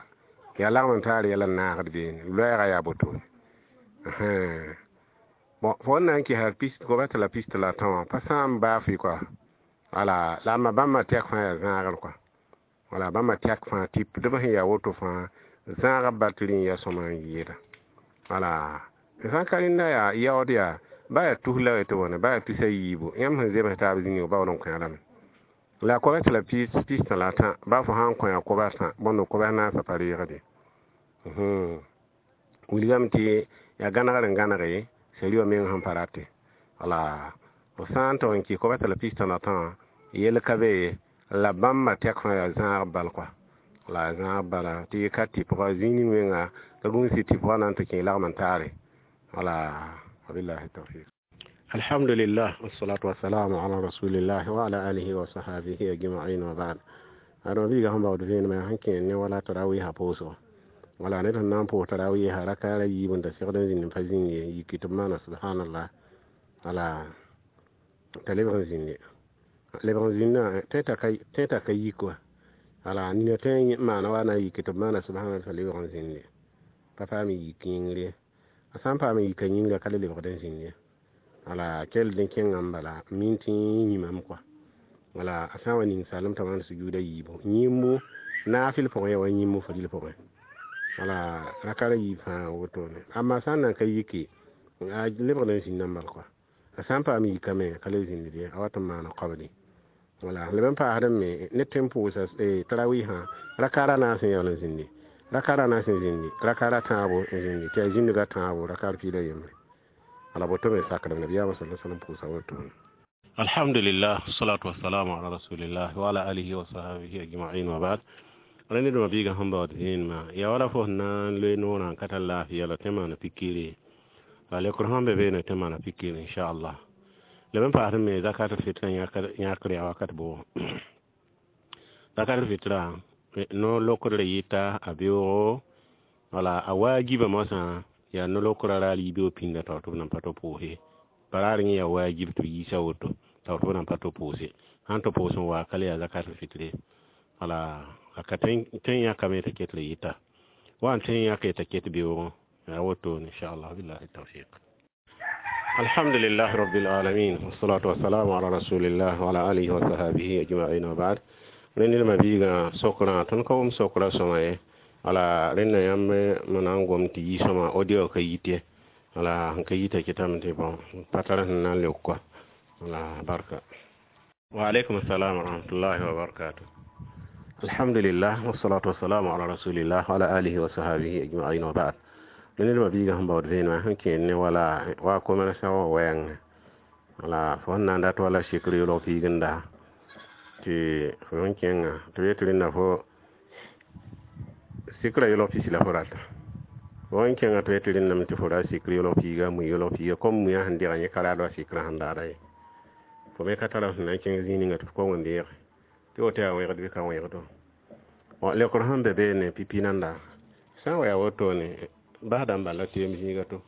yaa lagm n taar yɛl n naagd beene, loɛɛgã yaa botone. Bon, fo n na n kesa kobs tɩ la pist la a tã wã pa sã n baa fɩ kɔa. Wala la ãmba bãmba tɛk fãa yaa zãagr kɔa. Wala bãmba tɛk fãa tɩ d sẽn yaa woto fãa zãagã batri n yaa sõma n yɩɩda. Wala sã n ka rẽnda yaa yaood yaa Ba yaa tus la tɩ wãna, ba yaa tusa yiibu. Yãmb sẽn zems taab zĩig baood n kõ lame. La kobs la pis la tã, ba fo sã n kõ ya kobs tã, bõnd kobs naasã pa reegde. Wilgame tɩ yaa gãnegr n gãnege sari wã meng sẽn pa rate. Wala f sã n tog n kɩ kobs la pis la tã, yell ka be ye, la bãmba tɛk fãa yaa zãag bal kɔa. La zãag bala tɩ y ka tɩpga zĩig ning menga ka gũus tɩ tɩpga na n tɩ kẽ lagm n taare. Wala wabillahi tawfiq. Alhamdulillah, wassalatu wassalamu ala rasulillah wa ala alihi wa sahbihi ajma'in wa ba'd. Ado biiga sẽn baood vẽenemã yaa sẽn kẽer ne wala tarawiisã pʋʋsgo. Wala ned sẽn na n pʋʋs tarawiisã rakaara yiib n da segd n zĩnd n pa zĩnd ye, yiki tɩ b maana subhanallah. Wala t'a lebg n zĩnde. Lebg n zĩndã tẽ t'a ka yik wa. Wala nina tõe n maana wa na n yiki tɩ b maana subhanallah t'a lebg n zĩnde. Pa paam n yik yĩngr ye. A sã n paam n yika yĩngrã ka le lebgd n zĩnd ye. Wala kell dẽ kẽngame bala min tɩ yĩmame kɔa. Wala a sã n wa ning salem t'a maan sujuuda yiibu. Yĩmbu naafɩl pʋgẽ yaa wa yĩmbu faril pʋgẽ. Wala rakara yiib fãa wotone. Amma sã n nan ka yiki, a lebgd n zĩndame bal kɔa. A sã n paam yikame ka le zĩnd ye, a wat n maana qabli. Wala leb n paasdẽ me ned tõe n pʋʋsa tarawiisã rakaara naas n yaool n zĩndi. Rakaara naas n zĩndi, rakaara tãabo n zĩndi, tɩ yaa zĩndga tãabo rakaar piig la yembre. Wala boto me sakdem nabiyaamã sala sallam pʋʋsa wotone. Alhamdulillah, salatu wassalamu ala rasulillah wa ala alihi wa sahbihi ajma'in wa ba'd. Rẽnd dẽma biigã sẽn baood vẽenemã yaa wala fo sẽn na n loe noorã n ka tar laafɩ la tɩ maana pikire. La lekr sẽn be beene tɩ maana pikire inchallah. Leb n paasd me zakat fitra yãkr yaa wakat bʋʋgo. Zakat fitra no lokdr yɩta a beoogo, wala a waajiba moasã yaa no-lokra raar yibeoog pĩnda tao tɩ b nan pa tɩ pʋʋse. Baraar yẽ yaa waajib tɩ b yiisa woto tao tɩ b nan pa tɩ pʋʋse. Sãn tɩ pʋʋs n waa ka le yaa zakat fitre. Wala a ka tõe n yãkame t'a ket yɩta. Wa n tõe n yãke t'a ket beoogẽ. Yaa wotone inchallah, billahi tawfiq. Alhamdulillah rabbil alamin, wassalatu wassalamu ala rasulillah wa ala alihi wa sahbihi ajma'in wa ba'd. Rẽnd ned biigã sokrã tõnd ka wʋm sokra sõma ye. Wala rẽnda yãmb m na n gom tɩ yi sõma audio ka yit ye. Wala sẽn ka yita kɩtame tɩ bõn pa tar sẽn na n leok kɔa. Wala barka. Wa alaikum assalam wa rahmatullahi wa barakatuh. Alhamdulillah, wassalatu wassalamu ala rasulillah wa ala alihi wa sahbihi ajma'in wa ba'd. Ned biigã sẽn baood vẽenemã sẽn kẽer ne wala wa commerçant wã wɛɛngẽ. Wala fo sẽn na n dat wala sikr yʋlg piigenda tɩ fo sẽn kẽnga tɩ b yet rẽnda fo sikra yʋlg pisi la fo rata. Fo sẽn kẽnga tɩ b yet rẽndame tɩ fo ra sikr yʋlg piiga, mui yʋlg piiga, kom muiã sẽn degã yẽ ka raad wa sikrã sẽn daada ye. Fo me ka tara sẽn na n kẽng zĩig ninga tɩ f kong n deege. Tɩ woto yaa wẽgd bɩ ka wẽgdo. Lekr sẽn be beene pipi nanda sã n wa yaa wotone basdã n bala teem zĩiga to.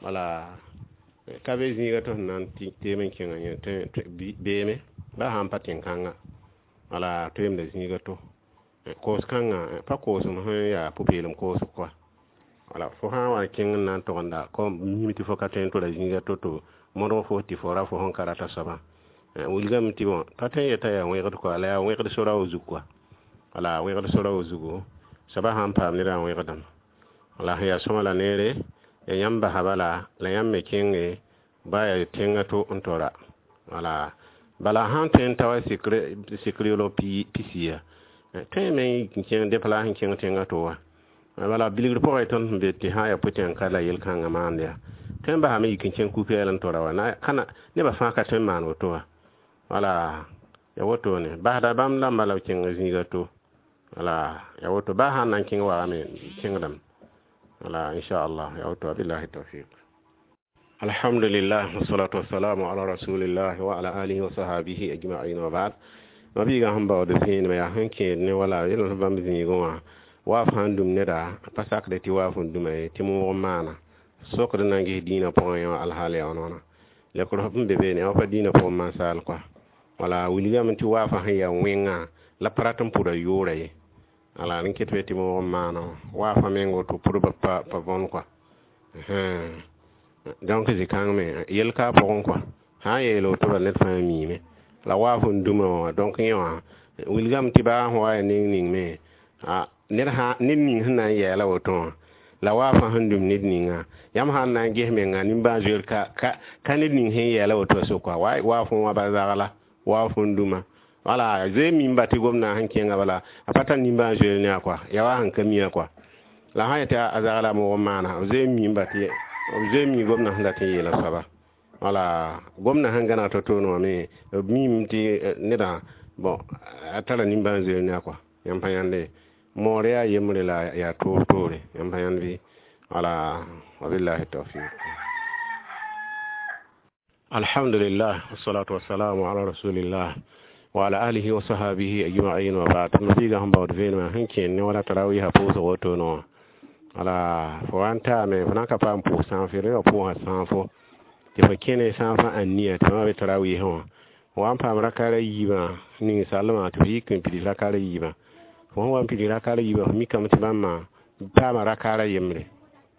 Wala ka be zĩiga to sẽn na n teem n kẽngã yẽ beeme ba sã n pa tẽn-kãnga. Wala toeemda zĩiga to. Koos kãngã pa koosem sẽn yaa pʋ-peelem koosg kɔa. Wala fo sã n wa n kẽng n na n togenda kom miime tɩ fo ka tõe n tora zĩiga to tɩ modg fo tɩ fo ra fo sẽn ka rata soabã. Wilgame tɩ bõ pa tõe n yeta yaa wẽgd kɔa, la yaa wẽgd sora wa zug kɔa. Wala wẽgd sora wa zugu soabã sã n paam nedã n wẽgdame. Wala sẽn yaa sõma la neere yaa yãmb basa bala la yãmb me kẽnge ba yaa tẽngã to n tora. Wala bala sãn tõe n ta wa sikr yʋlg pisi ya, tõe me n kẽng déplace n kẽng tẽngã to wã. Bala bilgr pʋgẽ tõnd sẽn be tɩ sã n yaa pʋtẽng ka la yel-kãngã maand yaa. Tõe n basame yik n kẽng ku-pɛɛl n tora wa. Nebã fãa ka tõe n maan woto wã. Wala ya wotone basda bãmb dãmba la b kẽng zĩiga to. Wala ya woto ba sãn na n kẽng wagame kẽngdame. Wala inchallah ya woto billahi tawfiq. Alhamdulillah, wassalatu wassalamu ala rasulillah wa ala alihi wa sahbihi ajma'in wa ba'd. Ma biigã sẽn baood vẽenemã yaa sẽn kẽed ne wala yel sẽn bãmb zĩigẽ wã waaf sãn dũm neda pa sakde tɩ waaf n dũma ye tɩ moog n maana. Sokd n na n ges dĩinã pʋgẽ yã alhaal yaa wãna. Lekr f n be beene wã pa dĩinã pʋgẽ mansaal kɔa. Wala wilgame tɩ waafã sẽn yaa wẽngã la pa rat n pʋda yʋʋra ye. Wala rẽn ket be tɩ moog n maana wã. Waafã meng woto pʋdbã pa võn kɔa. Donc zĩ-kãng me yel ka a pʋgẽ kɔa. Sã n yeel woto bala ned fãa miime. La waaf n dũma wã donc yẽ wã wilgame tɩ baa sẽn wa yaa neng ning me ned ning sẽn na n yɛɛla woto wã La wa fãa sẽn dũm ned ninga yãmb sã n na n ges menga nimbãan-zoeer ka ned ning sẽn yɛɛla woto sʋka wa fõ wã ba zagla wa fõn dũma wala zoe mimba tɩ gomdã sẽn kẽnga bala a pa tar nimbãan-zoeer ne a kɔa yaa wa sẽn ka mi a kɔa la sã yetɩ a zagla moog n maana b zoe n mimba tɩ b zoe n mi gomdã sẽn dat n yeela soaba wala gomdã sẽn gãneg to-toone wã me b miime tɩ nedã bon a tara nimbãan-zoeer ne a kɔa yãmb pa yãnde moor yaa yembre la yaa toor toore yãmb pa yãnd bɩ wala wabillahi tawfiq. Alhamdulillah, wassalatu wassalamu ala rasulillah wa ala alihi wa sahabihi ajma'in wa ba'd. Mabiiga sẽn baood vẽenemã sẽn kẽen ne wala tarawiisã pʋʋsg wotone wã wala fo wa n taame fo na n ka paam pʋʋs sãafo rẽ wa pʋʋsã sãafo tɩ fo kẽne sãafã ãnnia tɩ fãa be tarawiisẽ wã wa n paam rakaara yiibã ning salmã tɩ fo yik n pids rakaara yiibã fo sẽn wa n pids rakaara yiibã fo mikame tɩ bãmba paama rakaara yembre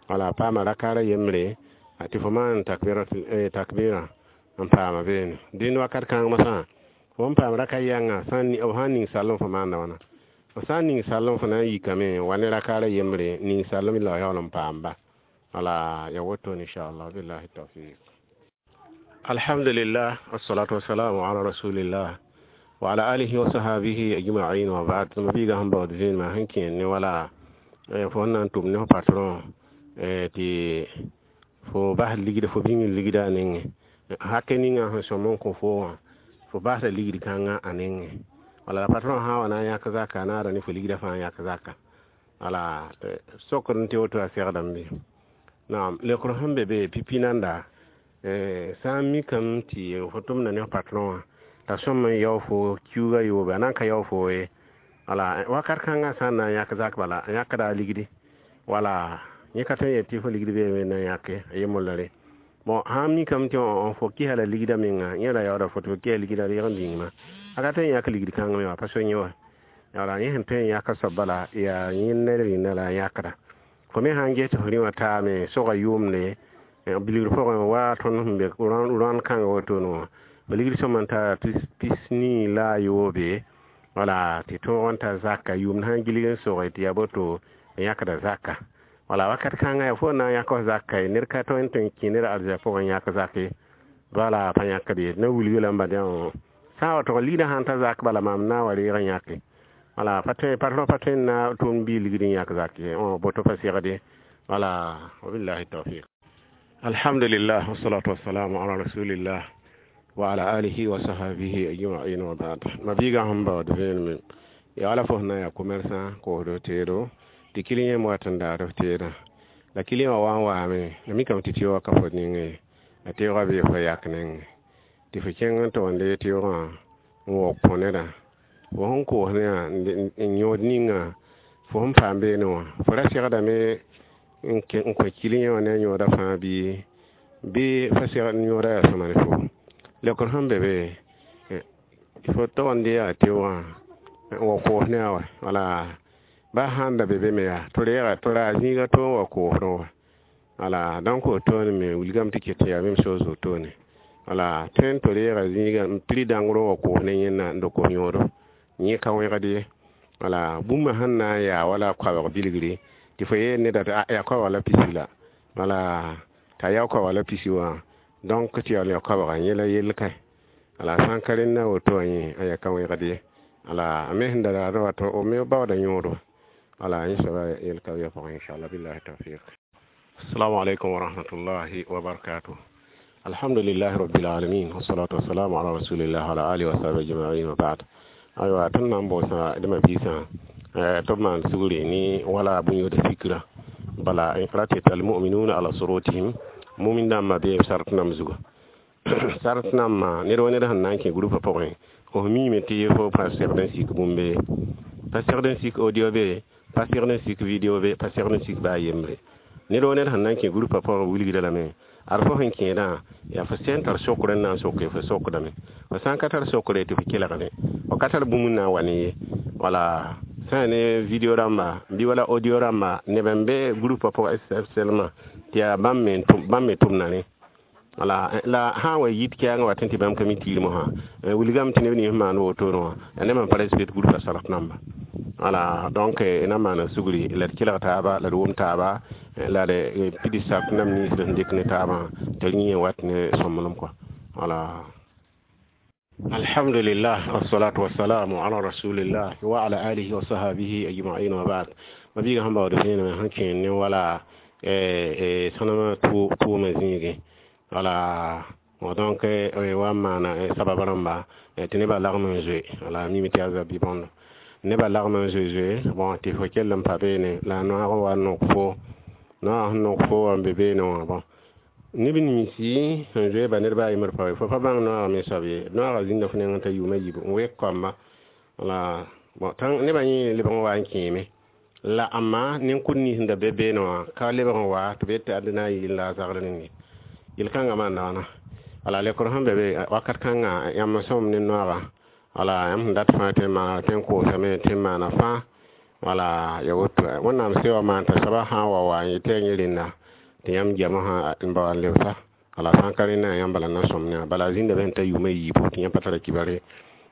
wala paama rakaara yembre tɩ fo maan takbɩrã n paama beene dẽnd wakat kãng masã fo n paam raka yãnga b sã n ning sallem fo maanda wãna f sã n ning sallem fo na n yikame n wa ne rakaara yembre ning sallem la yaool n paamba wala ya wotone inchallah billahi tawfiq. Alhamdulillah, wassalatu wassalamu ala rasulillah wa ala alihi wa sahabihi ajma'in wa ba'd. Mabiiga sẽn baood vẽenemã sẽn kẽen ne wala fo sẽn na n tʋm ne fo patron tɩ fo bas ligd fo bĩng ligda a nengẽ hake ninga sẽn sõm n kõ fo wã fo basda ligd kãngã a nengẽ wala la patron sã n wa na n yãk zaka a naada ne fo ligdã fãa n yãk zaka wala sokd n tɩ woto a segdame bɩ naam leokr sẽn be be pipi nanda sã n mikame tɩ fo tʋmda ne f patron wã t'a sõm n yao fo kiuugã yoobe a na n ka yao fo ye wala wakat kãngã sã n na n yãk zak bala a yãkda a ligdi wala yẽ ka tõe n yet tɩ fo ligd beeme na n yãke a yembollre bon sã n mikame tɩ fo kɩsa la ligdã menga yẽ ra yaooda fo tɩ fo kɩsa ligdã reeg n bĩngma a ka tõe n yãk ligd kãng me wã pa so yẽ wa wala yẽ sẽn tõe n yãk soab bala yaa yẽ ned rẽnda la a yãkda fo me sã n ges tɩ fo rẽ wã taame sogã yʋʋmde bilgr pʋgẽ wa tõnd sẽn be rõand kãnga wotone wã b ligd sõm n tara pis nii la a yoobe wala tɩ tõog n ta zaka yʋʋmd sã n gilg n soge tɩ yaa boto n yãkda zaka wala wakat kãngã yaa fo na n yãk f zaka ye ned ka tõe n tõe n kẽ ned arzɛk pʋgẽ n yãk zak ye wala pa yãkd ye na wilg lamba dẽ sã n wa tʋg ligdã sãn ta zak bala maam na n wa reeg n yãke wala pa tõe patron pa tõe n na tʋʋm bii ligd n yãk zak ye boto pa segd ye wala wabillahi tawfiq. Alhamdulillah, wassalatu wassalamu ala rasulillah wa ala alihi wa sahabihi ajma'in wa ba'd. Mabiiga sẽn baood vẽenemẽ yaa wala fo sẽn na n yaa commerçant koosdo teedo tɩ kiliyẽ me wat n daar f teedã la kiliyẽ wã wa n waame la mikame tɩ teoogã ka fo nengẽ la teoogã bee fo yak nengẽ tɩ fo kẽng n togende teoogã n waoog kõ nedã fo sẽn koos ne n yõod ninga fo sẽn paam beene wã fo ra segdame n kõ kiliyẽ wã ne a yõoda fãa bɩ fa segd yõoda yaa sõma ne fo leokr sẽn be be fo togend yaa teoogã n wa koos ne a wa wala ba sãn da be be me yaa tɩ reega tɩ raa zĩiga to n wa koosdẽ wã wala donc wotone me wilgame tɩ ket yaa même chose wotone wala tõe n tɩ reega zĩiga n prix dãngr n wa koos ne yẽnna n da kos yõodo yẽ ka wẽgd ye wala bũmba sẽn na n yaa wala koabg bilgre tɩ fo yeel neda tɩ yaa koabg la pisi la wala t'a yaa koabg la pisi wã donc tɩ yaool yaa koabga yẽ la yell kae wala sã n ka rẽnda woto wã yẽ a yaa ka wẽgd ye wala a me sẽn da raadẽ wa tɩ me baooda yõodo wala yẽ soaba yell ka wɩa pʋgẽ inchallah billahi tawfiq. Assalamu alaikum wa rahmatullahi wa barakatuh. Alhamdulillahi rabbil alamin, wassalatu wassalamu ala rasulillah wa ala alihi wa sahbihi ajma'in wa ba'd. Aywa tõnd na n boosa dẽmã biisã tɩ b maan sugri ne wala bũn-yood fikra bala ra tɩ almuminuna ala surutihim mumin dãmbã bee b sart nam zugu sart nambã ned wa ned sẽn na n kẽ groupa pʋgẽ f miime tɩ fo pa segd n sik bũmb pa segd n sik audio be pa segd n sik video be pa segd n sik baa yembre ned wa ned sẽn na n kẽ groupa pʋgẽ wilgda lame ad fo sẽn kẽedã yaa fo sẽn tar sokr n na n soke fo sokdame fo sã n ka tar sokre tɩ fo kelgde fo ka tar bũmb n na n wa ne ye wala sã ne video rãmba bɩ wala audio rãmba neb n be groupa pʋgẽ sɛlmã tɩ yaa bãmb me tʋmda rẽ wala la sã n wa yit kɛɛngã wa tɩ bãmb ka mi tiirmã sã wilgame tɩ neb nins maan wotone wã yaa neb sẽn pa respect groupa sart namba Wala donc na maana sugri la d kelg taaba, la d wʋm taaba, la d pids sak nam nins d sẽn dɩk ne taabã tɩ d yẽ wat ne sõmblem kɔa. Wala alhamdulillah, wassalatu wassalamu ala rasulillah wa ala alihi wa sahabihi ajma'in wa ba'd. Mabiiga sẽn baood vẽenemã sẽn kẽer ne wala sõnema tʋʋmã zĩigẽ. Wala donc wa n maana sabab rãmba tɩ nebã lagm n zoe. Wala mime tɩ yaa zabi bõndo nebã lagm n zoe zoe. Bon, tɩ fo kell n pa beene la a noaag n wa n nok fo, noaag sẽn nok fo wa n be beene wã. Bon, neb ninsi sẽn zoe ba nedba a yembr pa fo pa bãng noaag me soab ye. Noaagã zĩnda fo nengẽ t'a yʋʋma yiib n wek koamba. Wala bon, tã nebã yẽ lebg n wa n kẽeme la ãmba nin-kʋd nins sẽn da be beene wã ka lebg n wa tɩ b yet tɩ ad na n yɩl la a zagr rẽnde yel-kãngã maanda wãna. Wala lekr sẽn be be wakat kãnga, yãmb sõm ne noaagã. Wala yãmb sẽn dat fãa tɩ n maana, tɩ n koosame, tɩ n maana fãa. Wala ya woto Wẽnnaam se wa maan t'a soaba sã n wa wa n yetɩ yaa yẽ rẽnda tɩ yãmb goamã sã n ba wa n lebsa. Wala sã n ka rẽnda, yãmb bala na sõm ne bala a zĩnda be sẽn ta yʋʋma yiibu tɩ yãmb pa tara kibare.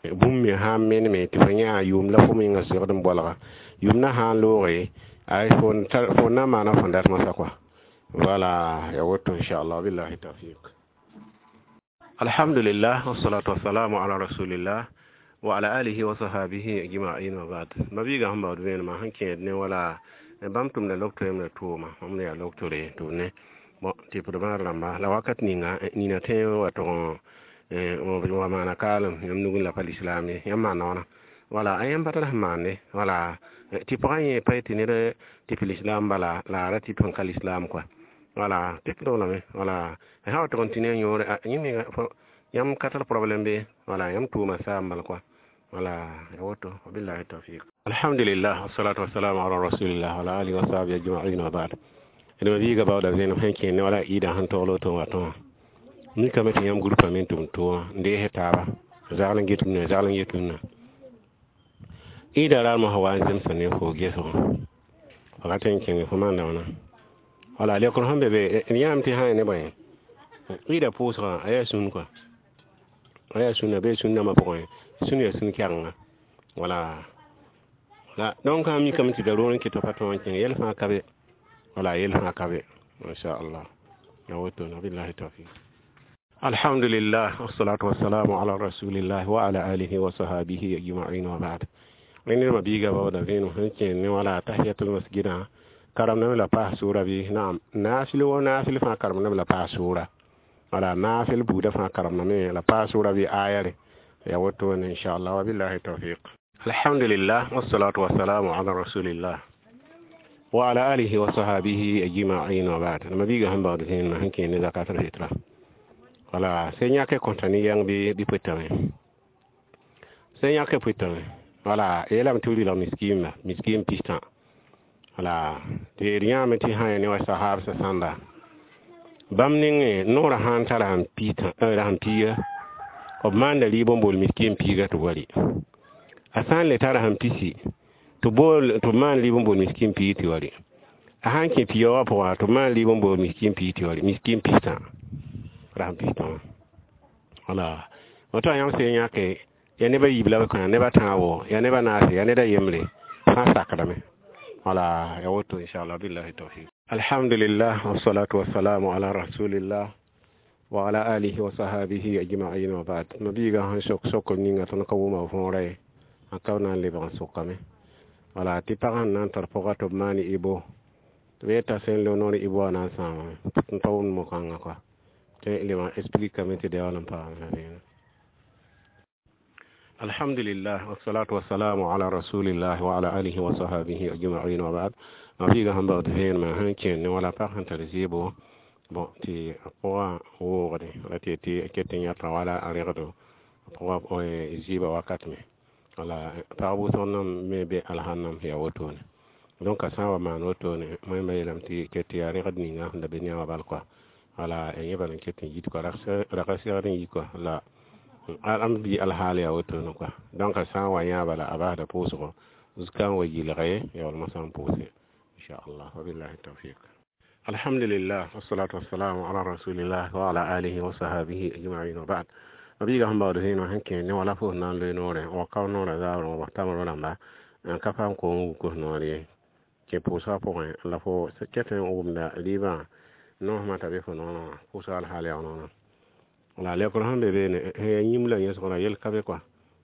Bũmb me sã n meneme tɩ fo yã yʋʋm la fo menga segd n bolga, yʋʋm na sã n looge ay fo na n maana fõn dat moasã kɔa. Wala ya woto, inchallah, billahi tawfiq. Alhamdulillah, wassalatu wassalamu ala rasulillah wa ala alihi wa sahabihi ajma'in wa ba'd. Mabiiga sẽn baood vẽenemã sẽn kẽed ne wala bãmb tʋmda lok-toeem la tʋʋma bãmb la yaa lok-tore tʋ ne. Bon, tɩ p d bãad rãmba la wakat ninga nina tõe n wa tʋg n wa maana kaalem yãmb nugẽ la pa lislaam ye. Yãmb maanda wãna? Wala a yãmb pa tar sẽn maande. Wala tɩ pagã yẽ pa yetɩ ned tɩ p lislaam bala la a ra tɩ sẽn ka lislaam kɔa. Wala tɩ p lame. Wala sã wa tʋg n tɩ ne a yõore yẽ yãmb ka tar problème be. Wala yãmb tʋʋma saam bal kɔa. Wala ya woto, wabillahi tawfiq. Alhamdulillah, wassalatu wassalamu ala rasulillah wa ala alihi wa sahbihi ajma'in wa ba'd. D mabiiga baooda vẽenem sẽn kẽer ne wala ɩɩdã sẽn togl woto n wa tõa mikame tɩ yãmb grupã me n tʋm tʋʋma n dees taaba zagl n get rũnã, zagl n get rũnã. Ɩɩda raar mosã wa n zemsa ne fo gesgõ wakat n kẽng fo maanda wãna. Wala lekr sẽn be be d yãame tɩ sã n ne bõe ɩɩda pʋʋsgã a yaa sũn kɔa, a yaa sũnna bee sũn nambã pʋgẽ, sũn yaa sũn kɛgenga. Wala la donc a mikame tɩ da roor n kɩt pa tõog n kẽng yɛl fãa ka be. Wala yɛl fãa ka be, inchallah, ya woto na, billahi tawfiq. Alhamdulillah, wassalatu wassalamu ala rasulillah wa ala alihi wa sahabihi ajma'in wa ba'd. Rẽnd mabiiga baooda vẽenem sẽn kẽer ne wala tahiyatul masjidã karemdame la paas sʋʋra bɩ? Naam, naafɩl wo naafɩl fãa karemdame la paas sʋʋra. Wala naafɩl buudã fãa karemdame la paas sʋʋra bɩ aya re ya wotone, inchallah, wa billahi tawfiq. Alhamdulillah, wassalatu wassalamu ala rasulillah wa ala alihi wa sahabihi ajma'in wa ba'd. Mabiiga sẽn baood vẽenemã sẽn kẽer ne zakat al-fitra. Wala sẽn yãke kõta ne yãng bɩ pʋtame, sẽn yãke pʋtame. Wala yeelame tɩ b rɩlg miskiimba miskiim pistã. Wala tɩ d yãame tɩ sã ya ne wa sahaabsã sãnda bãmb nengẽ noorã sã n tara sẽn piiga, b maanda rɩɩb n bool miskiim piiga tɩ b wa rɩ. A sã n le tara sẽn pisi tɩ bool tɩ b maan rɩɩb n bool miskiim piig tɩ wa rɩ. A sã n kẽ piiga wã pʋgã tɩ b maan rɩɩb n bool miskiim piig tɩ wa rɩ, miskiim pistã rasem pistã wã. Wala woto yãmb sẽn yãke yaa neba yiib la b kõ, neba tãabo yaa neba naase yaa neda yembre fãa sakdame. Wala ya woto, inchallah, billahi tawfiq. Alhamdulillah, wassalatu wassalamu ala rasulillah wa ala alihi wa sahabihi ajma'in wa ba'd. Mabiiga sẽn sok sokr ninga tõnd ka wʋma võora ye, a ka na n lebg n sokame. Wala tɩ pag sẽn na n tar pʋga tɩ b maan ibo tɩ b yeta sẽn lo noor ibo wã na n sãamame n pa wʋmd mo-kãngã kɔa tɩ leb n explikame tɩ da yaool n paam. Alhamdulillah, wassalatu wassalamu ala rasulillah wa ala alihi wa sahabihi ajma'in wa ba'd. Mabiiga sẽn baood vẽenemã sẽn kẽer ne wala pag sẽn tar zeebo. Bon, tɩ a pʋgã woogde ra tɩ tɩ ket n yãta wala a rẽgdo pʋgã zɩɩbã wakat me. Wala pag wʋsg nam me be alhãnnam yaa wotone. Donc a sã n wa maan wotone, wẽmba yeelame tɩ ket tɩ yaa rẽgd ninga sẽn da be ne a wã bal kɔa. Wala yẽ bal n ket n yit kɔa rag segd n yi kɔa la am bɩ alhaal yaa wotone kɔa. Donc a sã n wa yã bala a basda pʋʋsgo zuka n wa yɩlge yaool mosã n pʋʋse, inchallah, wabillahi tawfiq. Alhamdulillah, wassalatu wassalamu ala rasulillah wa ala alihi wa sahabihi ajma'in wa ba'd. Mabiiga sẽn baood vẽenemã sẽn kẽer ne wala fo na n loe noorẽ wa kao noorã zaoorẽ wa tamro rãmba. N ka paam koom wuk f noor ye kẽ pʋʋsgã pʋgẽ la fo ket n wʋmda rɩɩbã noosmã t'a be fo noorã wã pʋʋsga alhaal yaa noorã. La leokr sẽn be beene sẽn yaa yĩm la yẽsg yel ka be kɔa.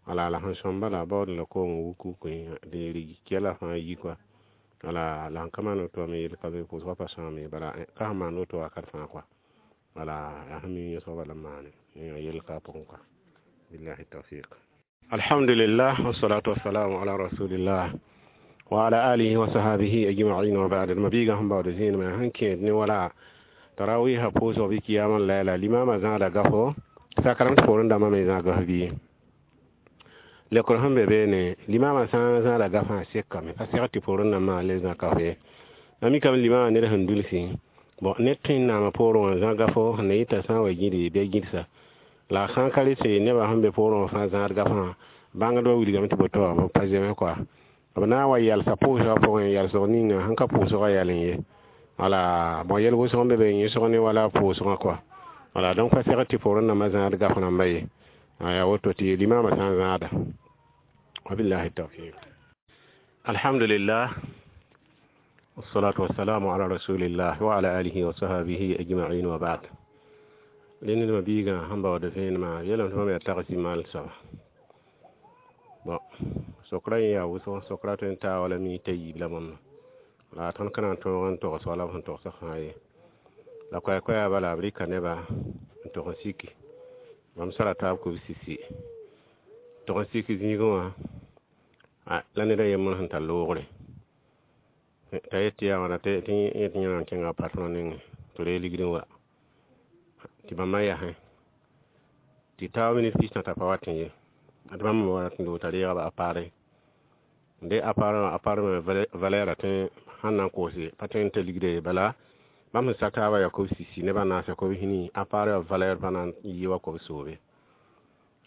Wala la sẽn sõm bala baood la koom n wuk wuk tɩ kɛla fãa yi kɔa. Wala la sẽn ka maan woto wã me yel ka be, pʋʋsgã pa sãam ye, bala ka sẽn maan woto wakat fãa kɔa. Wala yaa sẽn mi yẽsg bala n maane yel ka a pʋgẽ kɔa. Billahi tawfiq. Alhamdulillah, wassalatu wassalamu ala rasulillah wa ala alihi wa sahabihi ajma'in wa ba'd. Mabiiga sẽn baood zẽenemã sẽn kẽed ne wala tarawiha pʋʋsg bɩ kiyama layla limama zãada gafo sakrame tɩ poorẽ dãmbã me zãag gaf bɩ leokr sẽn be beene limama sã n zãada gafã sekame pa segd tɩ poorẽ dãmbã le zã kaf ye. La mikame limama ned sẽn dulsi bon ned tõe n naama poorẽ wã zã gafo sẽn na yɩta sã n wa gĩde bɩ a gĩdsa la sã n ka rɩ tɩ nebã sẽn be poorẽ wã fãa zãad gafã bãngdbã wilgame tɩ boto b pa zeme kɔa b na n wa yalsa pʋʋsgã pʋgẽ yalsg ninga sẽn ka pʋʋsgã yal n ye. Wala bon yɛl wʋsg n be be yẽsg ne wala pʋʋsgã kɔa. Wala donc pa segd tɩ poorẽ dãmbã zãad gaf rãmba ye yaa woto tɩ limama sã n zãada. Wabillahi tawfiq. Alhamdulillah, wassalatu wassalamu ala rasulillah wa ala alihi wa sahabihi ajma'in wa ba'd. Rẽnd biigã sẽn baood vẽenemã yeelame tɩ bãmb yaa tagsi maal soaba. Bon sokra yẽ yaa wʋsg sokra tõe n taa wala minit a yiib la bõmba la tõnd ka na n tõog n togs wala b sẽn togsã fãa ye. La koɛɛ-koɛɛga bala b rɩka neba n tog n siki bãmb sara taab kub sisi tog n sik zĩigẽ wã la ned a yembr sẽn tar loogre t'a yet tɩ yaa wãna tɩ yẽ tɩ yẽ na n kẽnga a patron nengẽ tɩ reeg ligd n wa tɩ bãmba yasẽ tɩ taoog minit pis tã pa wat n ye tɩ bãmb me wa rat n loog t'a reega appareil de appareil wã appareil me valeur a tõe sãn na n koose pa tõe n ta ligda ye bala bãmb sẽn sak taabã yaa kob sisi nebã naasa kob hinii appareil wã valeur pa na n yɩ wa kob soobe.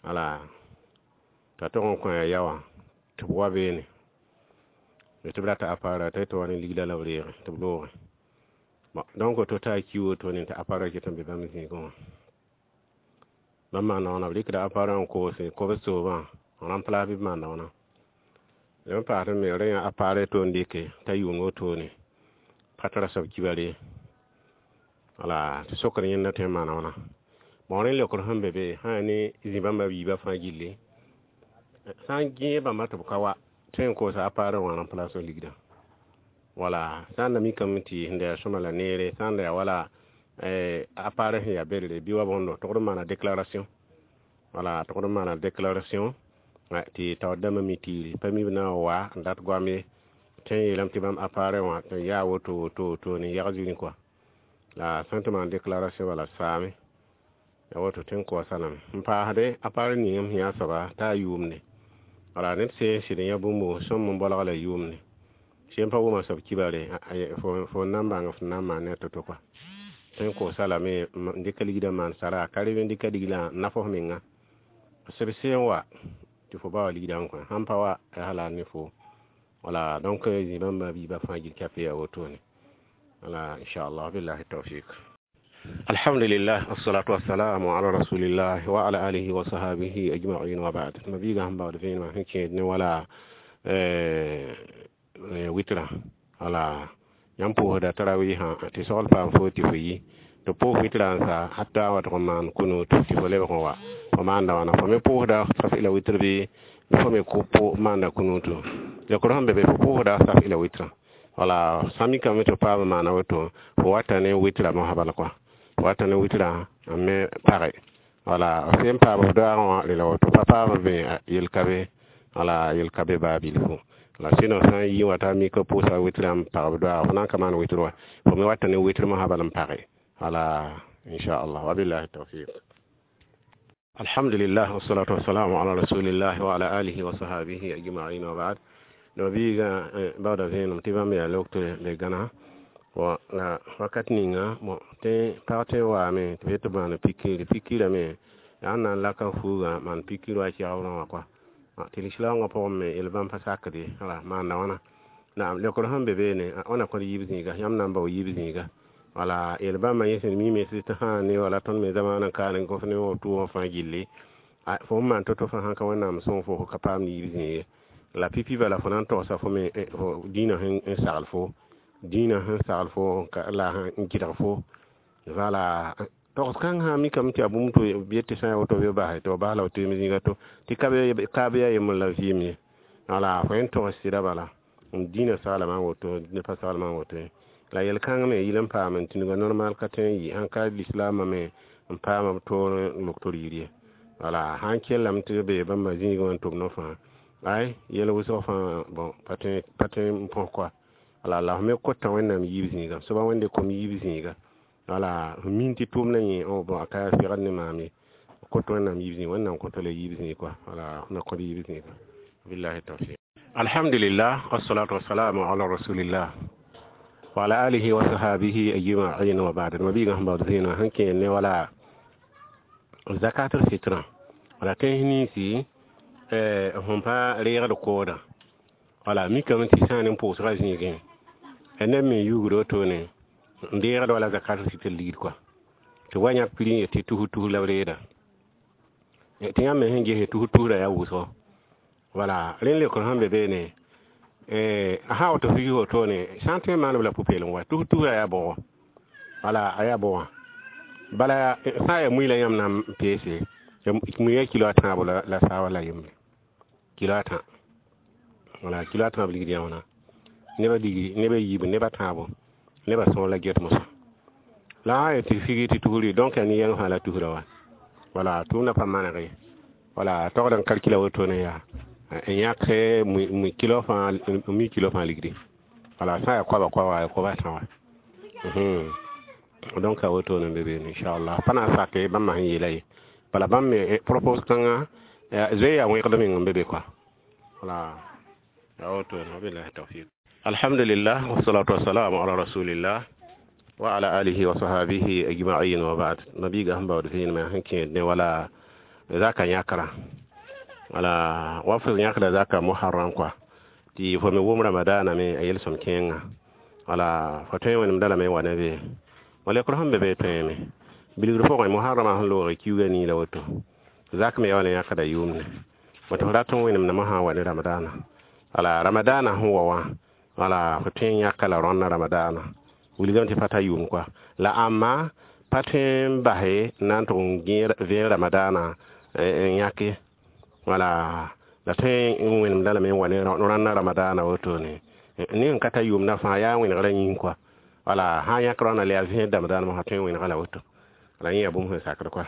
Wala t'a tog n kõ a ya wã tɩ b wa beene tɩ b rata appareil t'a yetɩ wa ne ligda la b reege tɩ b loogẽ. Bon donc to taa ki wotone tɩ appareil ket n be bãmb zĩigẽ wã bãmb maanda wãna b rɩkda appareil n koose kob soobã n remplace bɩ b maanda wãna n paasd me rẽ yã appareil to n dɩke t'a yʋʋn wotone pa tara soab kibare. Wala tɩ sokr yẽnda tõe n maana wãna bon rẽ leokr sẽn be be sã yaa ne zĩ-bãmba biibã fãa gilli sã n gẽeg bãmba tɩ b ka wa tõe n koosa appareil wã remplace ligdã. Wala sã n da mikame tɩ sẽn da yaa sõma la neere sã n da yaa wala appareil sẽn yaa belre bɩ wa bõndo togd n maana déclaration. Wala togd n maana déclaration tɩ taoor dãmbã mi tiiri pa mi b na n wa n dat goam ye tõe n yeelame tɩ bãmb appareil wã tɩ yaa woto woto woto ne yag zĩri kɔa la sã n tɩ maan déclaration bala saame ya woto tõe n koɔsa lame n paasde appareil ning m sẽn yaa soaba t'a yʋʋmde. Wala ned sẽn sɩd n yã bũmb sõm n bolg la yʋʋmde sẽn pa wʋma soab kibare fo n na n bãng f na n maan ne a to-to kɔa tõe n koosa lame n dɩka ligdã maan sara ka reb n dɩka ligdã n naf f menga seb seen wa tɩ fo ba wa ligdã n kõ sãn pa wa yaa la ne fo. Wala donc zĩ-bãmba biibã fãa gil kape yaa wotone. Wala inchallah billahi tawfiq. Alhamdulillah, wassalatu wassalamu ala rasulillah wa ala alihi wa sahabihi ajma'in wa ba'd. Mabiiga sẽn baood vẽenemã sẽn kẽed ne wala witra wala yãmb pʋʋsda tarawɩɩsã tɩ sogl paam fo tɩ fo yi tɩ pʋʋs witra n sa hatta wa tɩg n maan kunut tɩ fo lebg n wa fo maanda wãna fo me pʋʋsda saf ila witr bɩ fo me maanda kunutu leokr sẽn be be fo pʋʋsda saf ila witrã wala sã mikame tɩ paam n maana woto fo wata ne witra mosã bala kɔa fo wata ne witrã n me page wala f sẽn paam f doaagẽ wã rela woto pa paam be yel ka be wala yel ka be baa bilfu la sɩno sã n yi wã t'a mika pʋʋsa witrã n pag b doaaga fo na n ka maan witr wa fo me wata ne witr mosã bala n page wala inchallah wabillahi tawfiq. Alhamdulillah, wassalatu wassalamu ala rasulillah wa ala alihi wa sahabihi ajma'in wa ba'd. No biiga baooda vẽenem tɩ bãmb yaa leok tɩ be gãna la wakat ninga bon tɩ pag tõe n waame tɩ b yet tɩ maan pikir pikirame yaa n na n laka fuugã maan pikir wa kɛgrã wã kɔa tɩ lislaoongã pʋgẽ me yel bãmb pa sakd ye wala maanda wãna naam leokr sẽn be beene wãna kõd yiib zĩiga yãmb na n bao yiib zĩiga wala yel bãmba yẽ sẽn mime tɩ sã ne wala tõnd me zamaanã n kaan n gos ne woto wã fãa gilli fo n maan to-to fãa sãn ka wẽnnaam sõng fo ka paam yiib zĩig ye. La pipi bala fo na n togsa fo me fo dĩinã sẽn sagl fo, dĩinã sẽn sagl fo la n gɩdg fo. Wala togs kãng sã mikame tɩ yaa bũmb tɩ b yet tɩ sã n ya woto bɩ b base tɩ b bas la b toeem zĩiga to tɩ ka be yaa yembr la vɩɩm ye. Wala fo yẽ togs sɩda bala dĩinã saglame n woto, dĩinã pa saglame n woto ye. La yel-kãng me yɩl n paam n tĩnga normal ka tõe n yɩ sãn ka lislaambã me n paam b toor n lok tɩ rɩɩr ye. Wala sãn kellame tɩ b bee bãmba zĩigẽ wã n tʋm no fãa, ay yɛl wʋsg fãa bon pa tõe n põs koa. Wala la f me kota Wẽnnaam yiib zĩiga, soaba Wẽnde kom yiib zĩiga. Wala f min tɩ tʋʋmdã yẽ bon a ka segd ne maam ye. Kot Wẽnnaam yiib zĩig, Wẽnnaam kõta la yiib zĩig koa. Wala f na kõt yiib zĩiga. Billahi tawfiq. Alhamdulillah, wassalatu wassalamu ala rasulillah wa ala alihi wa sahabihi ajma'in wa ba'd. Mabiga sẽn baood zĩigã sẽn kẽer ne wala zakatul fitra. Wala tẽns ninsi sẽn pa reegd koodã. Wala mikame tɩ sã n ne pʋʋsgã zĩigẽ neb me yugd wotone n deegd wala zakatul fitr ligd koa. Tɩ wa yãk piri n yet tɩ tus tus la b reeda. Tɩ yãmb me sẽn gese tus tusrã yaa wʋsgo. Wala rẽnd leokr sẽn be beene sã woto figi wotone sã n tõe n maan b la pʋ-peelem wa tus tusrã yaa bʋgɔ. Wala a yaa bʋgã. Bala sã n yaa mui la yãmb na n peese, mui yaa kilo a tãabo la saaba la yembre. Kilo a tã. Wala kilo a tãab ligd yã wãna. Nebã ligri, nebã yiib, nebã tãabo, nebã sõor la get mosã. La sã n yaa tɩ figi tɩ tusri donc yaa nin-yɛng fãa la tusrã wa. Wala tʋʋmdã pa maneg ye. Wala togd n kalkila wotone yaa n yãk mui kilo fãa, mui kilo fãa ligdi. Wala sã n yaa koaba koaba, yaa koaba tã wa. Donc a wotone n be beene inchallah. Pa na n sake bãmba sẽn yeela ye. Bala bãmb me propos kãngã zoe yaa wẽgd meng n be be koa. Wala yaa wotone, wabillahi tawfiq. Alhamdulillah, wassalatu wassalamu ala rasulillah wa ala alihi wa sahabihi ajma'in wa ba'd. Mabiga sẽn baood vẽenemã sẽn kẽed ne wala zaka yãkra. Wala wa f yãkra zaka muharram koa. Tɩ fo me wʋm ramadana me a yel-sõm kẽenga. Wala fo tõe n wẽnemda lame n wa ne be. Wala lekr sẽn be be tõeme. Bilgr pʋgẽ muharramã sẽn loog kiuugã nii la woto. Zak me yaa wala yãkda yʋʋmde. Woto f rat n wẽnemdame sã n wa ne ramadana. Wala ramadana sẽn wa wã, wala fo tõe n yãka la rõnna ramadana. Wilgame tɩ pa ta yʋʋm koa. La ãmba pa tõe n base n na n tʋg n vẽeg ramadana n yãke. Wala la tõe n wẽnemda lame n wa ne rãnna ramadana wotone. Ne n ka ta yʋʋmdã fãa yaa wẽnegrã yĩng koa. Wala sã n yãk rõnna la yaa vẽed ramadana mosã tõe n wẽnega la woto. La yẽ yaa bũmb sẽn sakd koa.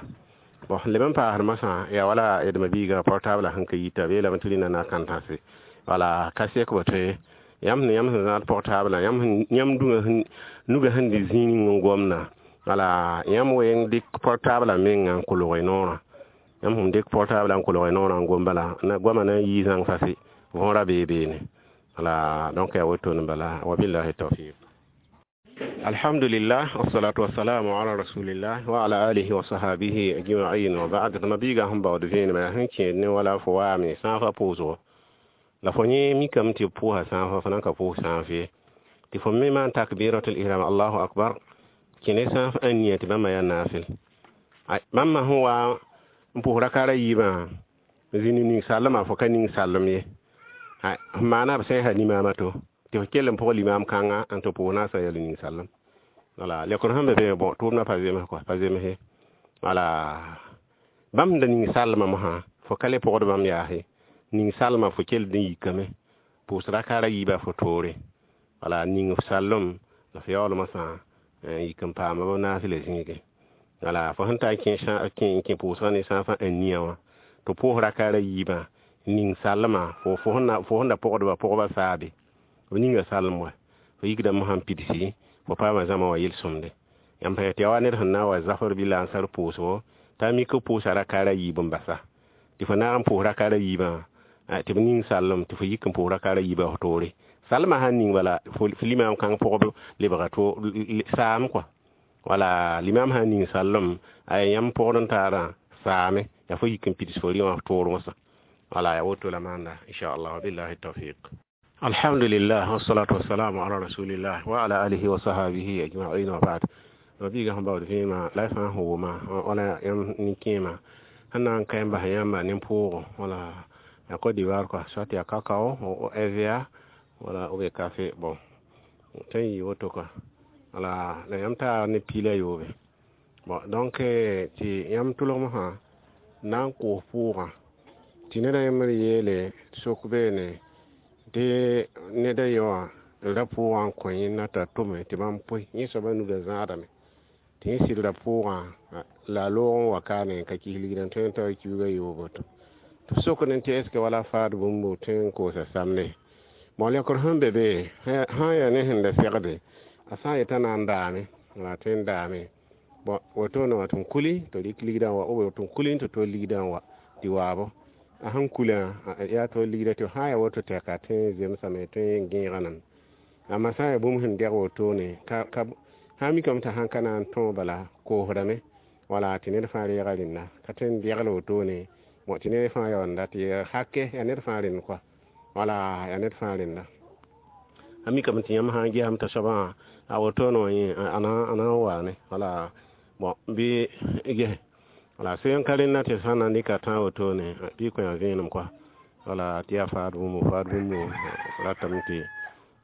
Bon leb n paasd mosã yaa wala d mabiigã portable sẽn ka yita b yeelame tɩ rĩnã na kãn-tãse. Wala ka sek bo tõe yãmb sẽn yãmb sẽn zãad portable yãmb dũngã nugã sẽn dɩ zĩig ning n gomda. Wala yãmb weng dɩk portable menga n kolg y noorã. Yãmb sẽn dɩk portable n kolg y noorã n gom bala goamã na n yii zãng fase võora bee beene. Wala donc yaa wotone bala, wabillahi tawfiq. Alhamdulillah, wassalatu wassalamu ala rasulillah wa ala alihi wa sahabihi ajma'in wa ba'd. Mabiigã sẽn baood vẽenemã sẽn kẽed ne wala fo waame sãafã pʋʋsgo. La fo yẽ mikame tɩ b pʋʋsa sãafã, fo na n ka pʋʋs sãaf ye. Tɩ fo me maan takbiratul ihram, allahu akbar, kẽ ne sãaf n nia tɩ bãmba yaa naafɩl. Bãmba sẽn wa n pʋʋs rakaara yiibã zĩnd ning sallmã, fo ka ning sallem ye. F maana b sẽn sa limaamã to tɩ f kell n pʋg limaam kãnga n tɩ pʋʋs naasã yaa ning sallem. Wala lekr sẽn be be bon tʋʋmdã pa zems koa, pa zemse. Wala bãmb sẽn da ning sallmã mosã fo ka le pʋgd bãmb yaase. Ning salma fo kell n yikame pʋʋs rakaara yiibã fo toore. Wala ning f sallem la f yaool mosã n yik n paama b naasla zĩigẽ. Wala fo sẽn ta n kẽ pʋʋsgã ne sãafã n nia wã tɩ pʋʋs rakaara yiibã ning sallmã fo sẽn da pʋgdba pʋgba saabe b ninga sallem wa fo yikda mosã n pidsi fo paama zãma wã yel-sõmde. Yãmb pa tɩ yaa wa ned sẽn na n wa zafr bɩ la ansar pʋʋsgo t'a mik b pʋʋsa rakaara yiib n basa. Tɩ fo naag n pʋʋs rakaara yiibã tɩ b ning sallem tɩ fo yik n pʋʋs rakaara yiibã f toore. Sallmã sãn ning bala fo limaam kãng pʋgb lebga to saam koa. Wala limaam sãn ning sallem a yãmb pʋgd n taarã saame yaa fo yik n pids fo rɩ wã f toor mosã. Wala yaa woto la maanda inchallah, wabillahi tawfiq. Alhamdulillah, wassalatu wassalamu ala rasulillah wa ala alihi wa sahabihi ajma'in wa ba'd. Mabiigã sẽn baood vẽemã la y fãa sẽn wʋma wala yãmb nin-kẽemã sẽn na n ka n bas yãmba nin-pʋʋgo wala Yaa Côte d'Ivoire quoi, soit yaa cacao RVA wala ou bien café. Bon, tõe n yɩ woto quoi. Wala la yãmb taa ne piila yoobe. Bon, donc tɩ yãmb tʋlgmsã na n koos pʋʋgã tɩ neda yembr yeele sok beene tɩ neda ye wã ra pʋʋgã n kõ yẽnda t'a tʋme tɩ bãmb pʋɩ yẽ soabã nugã zãadame tɩ yẽ sɩd ra pʋʋgã la a loog n wa kaane n ka kis ligdã tõe n tao kiuugã yoobo tɩ b sokdẽ tɩ est ce que wala faad bũmb tõe n koosa samde. Bon, lekr sẽn be be sã n yaa ne sẽn da segde a sã n yetã na n daame la tõe n daame. Bon, wotone wã tɩ m kuli tɩ rɩk ligdã n wa ou tɩ m kuli tɩ tol ligdã n wa tɩ waabo a sẽn kulã yaa tol ligdã tɩ sã n yaa woto tɛka tõe n zemsame tõe n gẽega name. Amma sã n yaa bũmb sẽn dɛg wotone ka sã n mikame t'a sãn ka na n tõog bala koosdame wala tɩ ned fãa reega rẽnda ka tõe n degl wotone. Bon, tɩ ned fãa yaoonda tɩ hake yaa ned fãa rẽnd quoi, wala yaa ned fãa rẽnda. A mikame tɩ yãmb sã n gesame t'a soabã a wotone wã yẽ a na n waane wala. Bon, bɩ ges wala sẽn ka rẽnda tɩ sã n na n dɩka tã wotone bɩ kõ ya vẽenem quoi, wala tɩ yaa faad bũmb ratame tɩ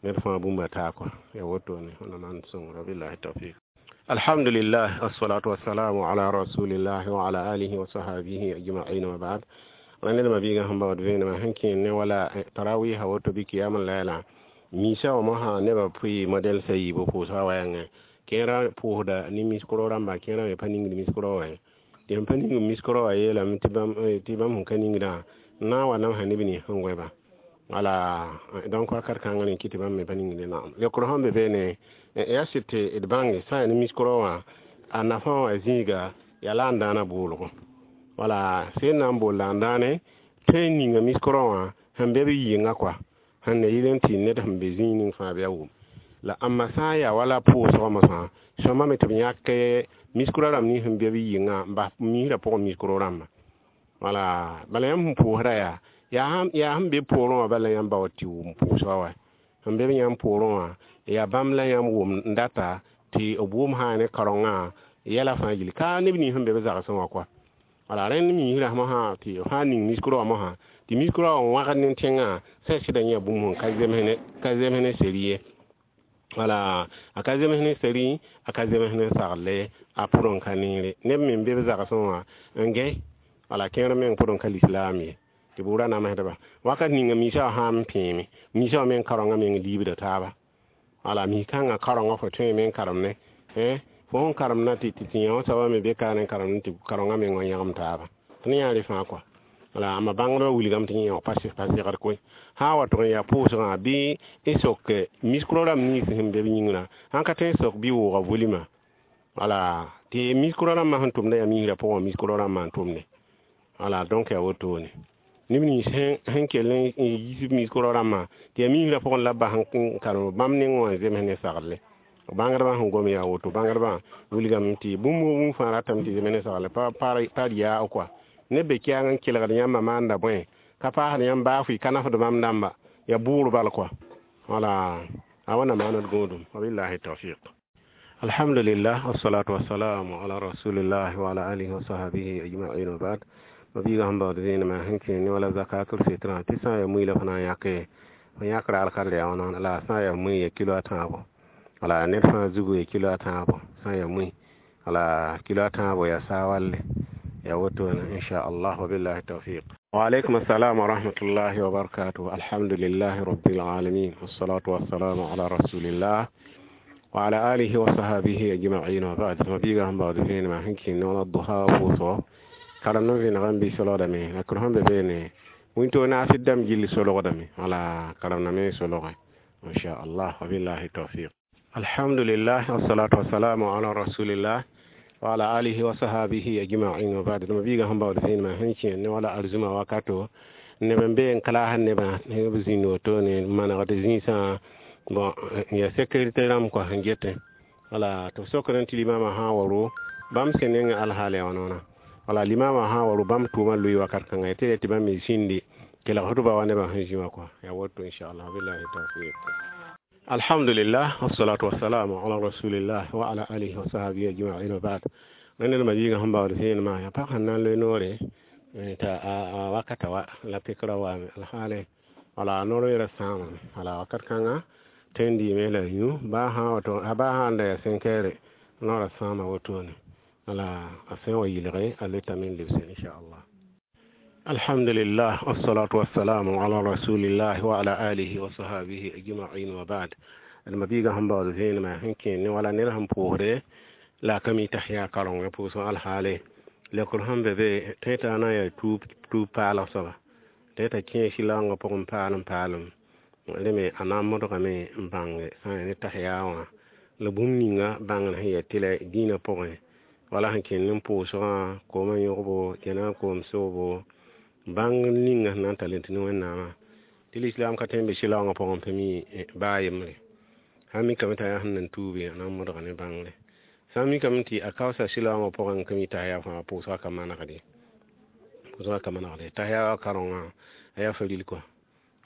ned fãa bũmba taa quoi, ya wotone. Wẽnnaam maan sõngr. Billahi tawfik. Alhamdulillah, assalatu wassalamu ala rasulillah wa ala alihi wa sahabihi ajma'in wa ba'd. Rãnd ma biigã sẽn baood vẽenemã sẽn kẽer ne wala tarawiha woto bɩ kiyam laila misa wã mosã nebã pʋɩ modɛl sã yiibã pʋʋsga wɛɛngẽ kẽerã pʋʋsda ne miskro rãmba kẽerã me pa ningd miskro wã tɩ sẽn pa ning miskro wã yeelame tɩ bãmb sẽn ka ningdã n na n wa namsa neb nins sẽn goẽba. Wala donc wakat kãngã rẽ kɩ tɩ bãmb me pa ningde naam. Lekr sẽn be beene yaa sɩd tɩ d bãnge sã n yaa ne miskro wã a nafã wã zĩiga yaa la n dãana boolgo. Wala sẽn na n bool la n dãane tõe n ninga miskro wã sẽn be b yɩnga quoi, sẽn na yɩl n tɩ ned sẽn be zĩig ning fãa bɩ a wʋm. La ãmba sã n yaa wala pʋʋsgã mosã sõma me tɩ b yãk miskro rãmb nins sẽn be b yɩngã n bas misrã pʋgẽ miskro rãmba. Wala bala yãmb sẽn pʋʋsda yaa sẽn be poorẽ wã bala yãmb baood tɩ wʋm pʋʋsgã wa sẽn be b yãmb poorẽ wã yaa bãmb la yãmb wʋm n data tɩ b wʋm sã ne kaorengã yɛla fãa gilli ka neb nins sẽn be b zagsẽ wã quoi. Wala rẽnd misrã mosã tɩ f sã n ning miskro wã mosã tɩ miskro wã n wãgd ne tẽngã sã sɩda yã bũmb sẽn ka zems ne seri ye. Wala a ka zems ne seri, a ka zems ne sagle, a pʋd n ka neere neb me n be b zagsẽ wã n gãe. Wala kẽer meng pʋd n ka lislaam ye tɩ b wʋra namsdba wakat ninga misa wã sã n pẽeme misa wã meng kaorengã meng liibda taaba. Wala mis-kãngã kaorengã fo tõe meng karem ne fo sẽn karemda tɩ tɩ yã wã soabã me be ka ne karemd tɩ kaorengã meng wã yãgem taaba tɩ ne yã rẽ fãa quoi. Wala amma bãngdbã wilgame tɩ yẽ pa segd koe sã n wa tʋg n yaa pʋʋsgã bɩ n sok miskro rãmb nins sẽn be b yĩngrã sãn ka tõe n sok bɩ wooga volima. Wala tɩ miskro rãmbã sẽn tʋmda yaa misrã pʋgẽ miskro rãmbã n tʋmde. Wala donc yaa wotone neb nins sẽn kell n yiisb miskro rãmbã tɩ yaa misrã pʋgẽ la b bas n karem bãmb neng wã n zems ne sagle. Bãngdbã sẽn gom yaa woto bãngdbã wilgame tɩ bũmb fãa ratame tɩ zems ne sagle pa yaa quoi. Neb be kɛɛng n kelgd yãmbã maanda bõe ka paasd yãmb baa fʋɩ ka nafd bãmb dãmba yaa bʋʋr bal quoi. Wala a wãnna maaned gõodum. Wabillahi tawfiq. Alhamdulillah, wassalatu wassalamu ala rasulillah wa ala alihi wa sahbihi ajma'in wa ba'd. Ma biiga sẽn baood vẽenemã sẽn kẽ ne wala zakatul fitrã tɩ sã n yaa mui la fo na n yãke fo yãkra alkar yaa wãna la sã n yaa mui ya kilo a tãabo. Wala ned fãa zugu ya kilo a tãabo sã n yaa mui wala kilo a tãabo yaa saa walle ya wotone inchallah. Wabillahi tawfiq. Wa aleykum assalam wa rahmatullahi wa barakatuh. Alhamdulillahi rabbil alamin, wassalatu wassalamu ala rasulillah wa ala alihi wa sahbihi ajma'in wa ba'd. Ma biiga sẽn baood vẽenemã sẽn kẽ ne wala duha pʋʋsgo karem n vẽneg n bɩ solgdame la kr sẽn be beene wĩntoog naasd dãmb gill solgdame wala karemdame solgẽ inchallah. Wabillahi tawfiq. Alhamdulillah, wassalatu wassalamu ala rasulillah wa ala alihi wa sahbihi ajma'in wa ba'd. Ma biiga sẽn baood vẽenemã sẽn kẽ ne wala arzũma wakato neb n be n kalaasd nebã b zĩnd wotone manegd zĩisã. Bon, yaa sécurité rãmb quoi sẽn getẽ. Wala tɩ b sokd tɩ limamã sã n wa ro bãmb sẽn neng alhaal yaa wãna. Wala limamã sã n wa ro bãmb tʋʋmã loe wakat kãnga tɩ tɩ bãmb me zĩndi kelg hʋtba wa nebã sẽn zĩ wã quoi, yaa woto inchallah. Billahi tawfiq. Alhamdulillah, wassalatu wassalamu ala rasulillah wa ala alihi wa sahbihi ajma'in wa ba'd. Rẽnd ma biigã sẽn baood vẽenemã yaa pag sẽn na n loe noore T'a a wakata wa la pekra waame alhaale wala noor sãamame wala wakat kãnga tõe n dɩɩme la yũ baa sã wato baa sã n da yaa sẽnkɛɛre noorã sãama wotone wala a sẽn wa yɩlge a letame n lebse inchallah. Alhamdulillah, wassalatu wassalamu ala rasulillah wa ala alihi wa sahabihi ajma'in wa ba'd. D mabiigã sẽn baood vẽenemã sẽn kẽer ne wala ned sẽn pʋʋsde la a ka mi tasiya karengã pʋʋsg alhaale lekr sẽn be be tõe t'a na n yaa tuub paalg soaba tõe t'a kẽ sɩlaoongã pʋgẽ paalem paalem rẽ me a na n modgame n bãnge sã n yaa ne tasiya wã la bũmb ninga bãngr sẽn yaa tɩlɛ dĩinã pʋgẽ wala sẽn kẽnd n pʋʋsgã koomã yõgbo kẽna koom soobo bãng ninga sẽn na n tall n tɩ ne Wẽnnaamã tɩ lislaam ka tõe n be sɩlaoongã pʋgẽ pa mi baa yembre sã n mikame t'a yaa sẽn nan tuube a na n modga ne bãngre sã n mikame tɩ a kaoosa sɩlaoongã pʋgẽ n ka mi tasiya fãa pʋʋsgã ka manegde pʋʋsgã ka manegde tasiya karengã a yaa faril kɔa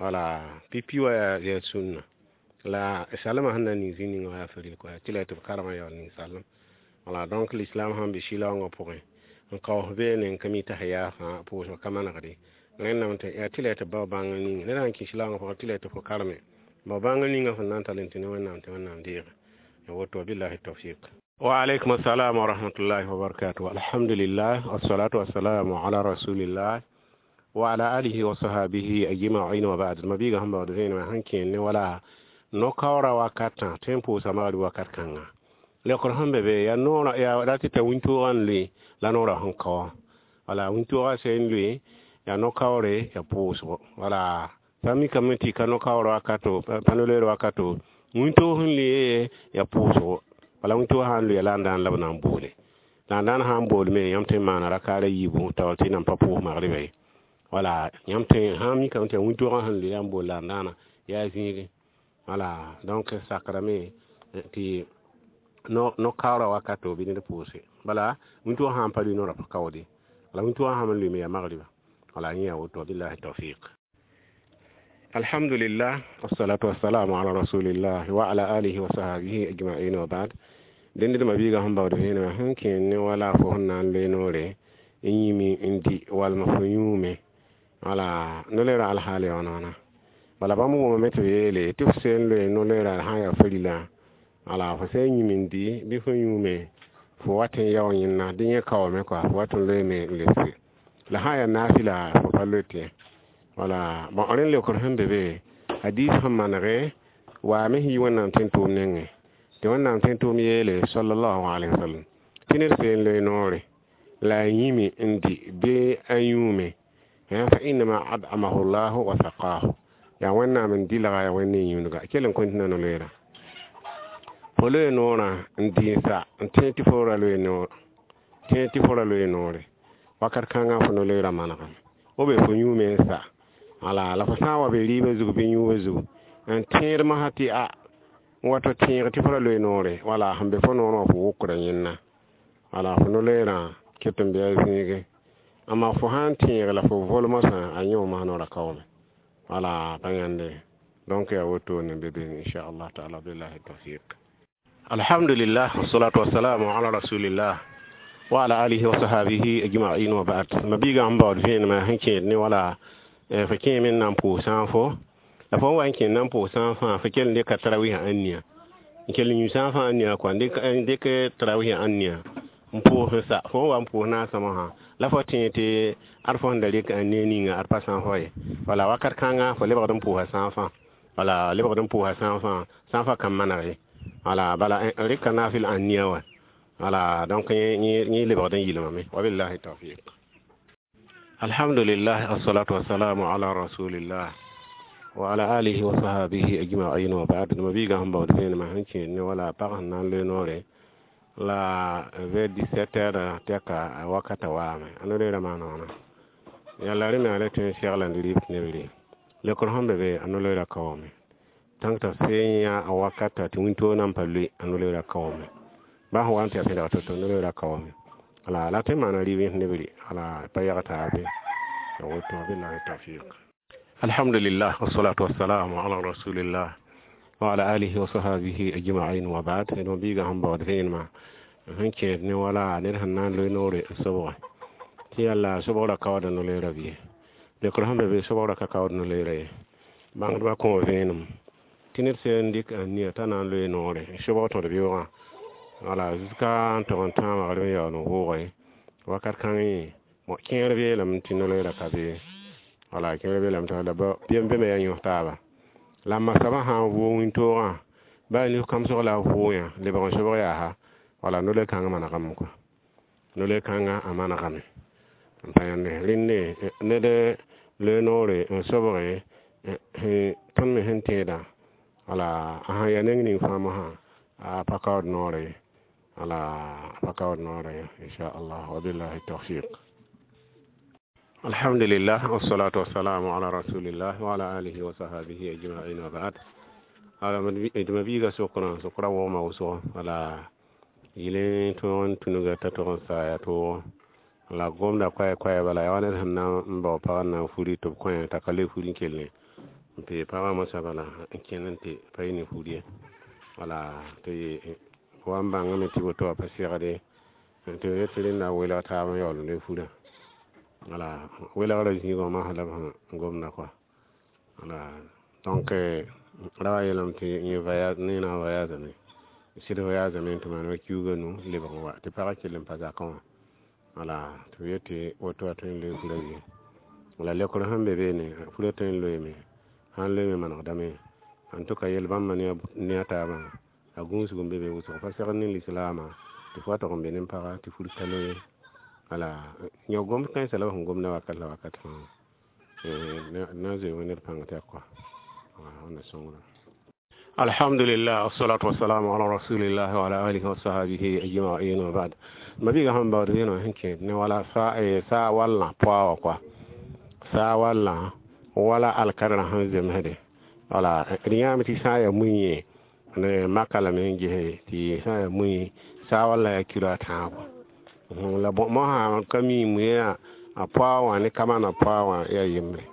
wala pipi wa yaa sũnna la salmã sẽn na n ning zĩ ninga wã yaa faril kɔa tɩ la tɩ b karengã yaool ning salem wala donc l'islam sãn be sɩlaoongã pʋgẽ n kaoos beene n ka mi tasiya fãa pʋʋsg ka manegde rẽndame tɩ yaa tɩ la tɩ bao bãngr ninga ned sãn kẽ sɩlaoongã pʋgẽ tɩ la tɩ fo karme bao bãngr ninga fõn na n tall n tɩ ne Wẽnnaam tɩ Wẽnnaam deege ya woto billahi tawfiq. Wa alaikum assalam wa rahmatullahi wa barakatuh. Alhamdulillah, wassalatu wassalamu ala rasulillah wa ala alihi wa sahabihi ajma'in wa ba'd. Mabiga sẽn baood vẽenemã sẽn kẽer ne wala no-kaoora wakatã tõe n pʋʋsa magd wakat kãnga lekr sẽn be be yaa noorã yaa rat t'a wĩntoogã n loe la noorã sẽn kao wala wĩntoogã sẽn loe yaa no-kaoore yaa pʋʋsgo wala sã n mikame tɩ ka no-kaoor wakato pa no-loeer wakato wĩntoog sẽn loe yaa pʋʋsgo wala wĩntoog sã n loe la n daan la b na n boole la n daan sã n boolme yãmb tõe n maana rakaara yiibu taoor tɩ nan pa pʋʋs magdba ye wala yãmb tõe sã n mikame tɩ yaa wĩntoogã sẽn loe la n bool la n daana yaa zĩige wala donc sakrame tɩ no-kaoora wakato bɩ ned pʋʋse bala wĩntoogã sã n pa lʋɩ noorã pa kaoode wala wĩntoogã sã n lʋɩme yaa magdba wala yẽ yaa woto billahi tawfiq. Alhamdulillah, wassalatu wassalamu ala rasulillah wa ala alihi wa sahabihi ajma'in wa ba'd. Dẽnd d mabiigã sẽn baood vẽenemã sẽn kẽer ne wala fo sẽn na n loe noore n yĩme n dɩ walma fo yũume wala no-loeerã alhaal yaa wãna bala bãmb wʋmame tɩ b yeele tɩ f sẽn loe no-loeerã sã n yaa farila wala fo sẽn yĩm n dɩ bɩ fo yũume fo wat n yao yẽnna dẽ yẽ kaoome kɔa fo wat n loeeme n lebse la sã n yaa naafɩla fo pa loe tɩ wala bõn rẽnd leokr sẽn be be hadis sẽn manege waame sẽn yi Wẽnnaam tẽn-tʋʋm nengẽ tɩ Wẽnnaam tẽn-tʋʋm yeele sallallahu alaihi wasallam tɩ ned sẽn loe noore la a yĩme n dɩ bɩ a yũume fa innama ad'amahu llahu wa saqahu yaa Wẽnnaam n dɩlga yaa Wẽnd ne yũudga kell n kõn tɩ na no-loeera fo loe noorã n dɩ n sa n tẽ tɩ fo ra loe noor tẽ tɩ fo ra loe noore wakat kãngã fo no-loeerã manegame o be fo yũume n sa wala la fo sã n wa be rɩɩbã zug bɩ yũubã zug n tẽed masã tɩ a wato tẽeg tɩ fo ra loe noore wala sẽn be fo noorã wã fo wokra yẽnna wala fo no-loeerã ket n be a zĩige amma fo sã n tẽeg la fo vol mosã a yẽ masã noorã kaoome wala pa yãnde donc yaa wotone be be inchallah taala billahi tawfiq. Alhamdulillah, wassalatu wassalamu ala rasulillah wa ala alihi wa sahabihi ajma'in wa ba'd. Mabiigã sẽn baood vẽenemã sẽn kẽed ne wala fo kẽeme n na n pʋʋs sã n fo la fo n wa n kẽnd na n pʋʋs sã n fãa fo kell n dɩka tarawisã ãnnia n kell n yũ sã n fãa ãnnia kɔa n dɩk tarawisã ãnnia n pʋʋs n sa fo n wa n pʋʋs naasã mosã la fo tẽeg tɩ ad fo sẽn da rɩk ãnnia ninga ad pa sã n fo ye wala wakat kãnga fo lebgd n pʋʋsa sã n fãa wala lebgd n pʋʋsa sã n fãa sã n fa ka maneg ye wala bala rɩka naafɩl ãnnia wa wala donc yẽ lebgd n yɩlmame wabillahi tawfiq. Alhamdulillah, assalatu wassalamu ala rasulillah wa ala alihi wa sahabihi ajma'in wa ba'd. Mabiigã sẽn baood vẽenemã sẽn kẽer ne wala pag sẽn na n loe noore la vers 17 heures tɛka wakata waame a no-loeerã maana wãna yaa la rẽ me a le tõe n segla n rɩɩb tɩ neb re lekr sẽn be be a no-loeerã kaoome tãng t'a sẽn yã a wakata tɩ wĩntoog nan pa loe a no-loeerã kaoome baa sẽn wa n tɩ yaa sẽn dag to-to no-loeerã kaoome wala la tõe n maana rɩɩb yẽs neb re wala pa yag taabe ya woto billahi tawfiq. Alhamdulillah, wassalatu wassalamu ala rasulillah wa ala alihi wa sahabihi ajma'in wa ba'd. D mabiigã sẽn baood vẽenemã sẽn kẽed ne wala ned sẽn na n loe noore n sobge Tɩ yalla sobgrã kaooda no-leerã bɩ lekr sẽn be be sobgrã ka kaood no-leerã ye. Bãngdbã kõ vẽenem tɩ ned sẽn dɩk a nia t'a na n loe noore n sobg tõd beoogã wala jusqu'à n tog n tãag magrb n yaool n vʋʋge wakat kãngẽ bõ kẽer beelame tɩ no-leerã ka be wala kẽer beelame tɩ la bem beme yaa yõs taaba la m ma soabã sã n vʋʋg wĩntoogã baa nif kãmsg la a vʋʋg yã lebg n sobg yaa wala no-le-kãngã manegame kɔa no-le-kãngã a manegame n pa yãnde rẽnde ned loe noore n sobge tõnd me sẽn tẽedã wala a sãn yaa neng ning fãa mosã a pa kaood noore ye wala a pa kaood noore ye inchallah wabillahi tawfiq. Alhamdulillah wassalatu wassalamu ala rasulillah wa ala alihi wa sahbihi ajma'in wa ba'd. Ala d ma biiga sokrã sokra wogma wʋsgo wala yɩl tõog n tũnuga t'a tog n saaya toogo la gomda koɛɛ koɛɛ bala yaa wa ned sẽn na n bao pag n na n furi tɩ b kõ t'a ka le furi n kell n pee pagã mosã bala n kẽnd n tɩ pa yɩ ne fur ye wala tɩ wa n bãngame tɩ woto wã pa segde tɩ b yet tɩ rẽnda welg taab n yaool n loe furã wala welgrã zĩigã masã la b sẽn gomda kɔa wala donc ra wa yeelame tɩ yẽ voyage ne na n voyageame sɩd voyageame tɩ maan wa kiuugã nu lebg n wa tɩ pagã kell n pa zakã wã wala tɩ b yet tɩ woto wã tõe n loe furã bɩ la lekr sẽn be beene furã tõe n loeeme sãn loeeme manegdame en tout cas yel bãmba ne a taabã a gũusg n be be wʋsg pa segd ne lislaamã tɩ fo wa tog n be ne paga tɩ fur ka loe wala yõ gomd kãensã la b sẽn gomda wakat la wakat fãa na n zoe ned pãng tɛk kɔa wẽnna sõngra. Alhamdulillah wassalatu wassalamu ala rasulillah wa ala alihi wa sahbihi ajma'in wa ba'd. Ma biiga sẽn baood vẽeneg sẽn kẽed ne wala saa wallã poa wã kɔa saa wallã wala alkadrã sẽn zemsde wala d yãame tɩ sã n yaa mui yẽ ne maka lame n gese tɩ sã n yaa mui saa wallã yaa kilo a tãabo la bõ mosã ka mi muiã a poa wã ne kamana poa wã yaa yembre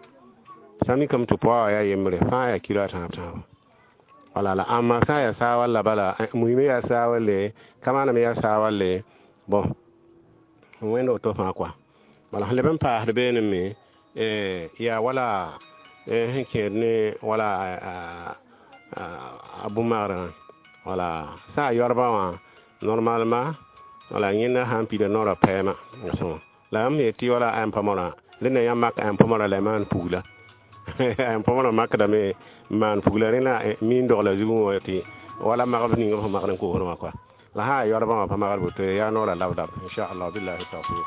sã mikame tɩ poa wã yaa yembre fãa yaa kilo a tãab tãabo wala la ãmba sã n yaa saa walla bala mui me yaa saa walle kamana me yaa saa walle bon wẽnd woto fãa kɔa bala sẽn leb n paasd beene me yaa wala sẽn kẽed ne wala a bũn-magrã wala sã a yoarbã wã normalement wala yẽnda sã n pida noorã pɛɛma la yãmb yet tɩ wala ãn pamorã rẽnda yãmb mak ãn pamorã la y maan pugla ãn pamorã makdame n maan pugla rẽna mi n dogla zugẽ wã tɩ wala magb ning b sẽn magd n kosd wã kɔa la sã n yaa yoarbã wã pa magd boto yaa noorã lab-lab inchallah billahi tawfiq.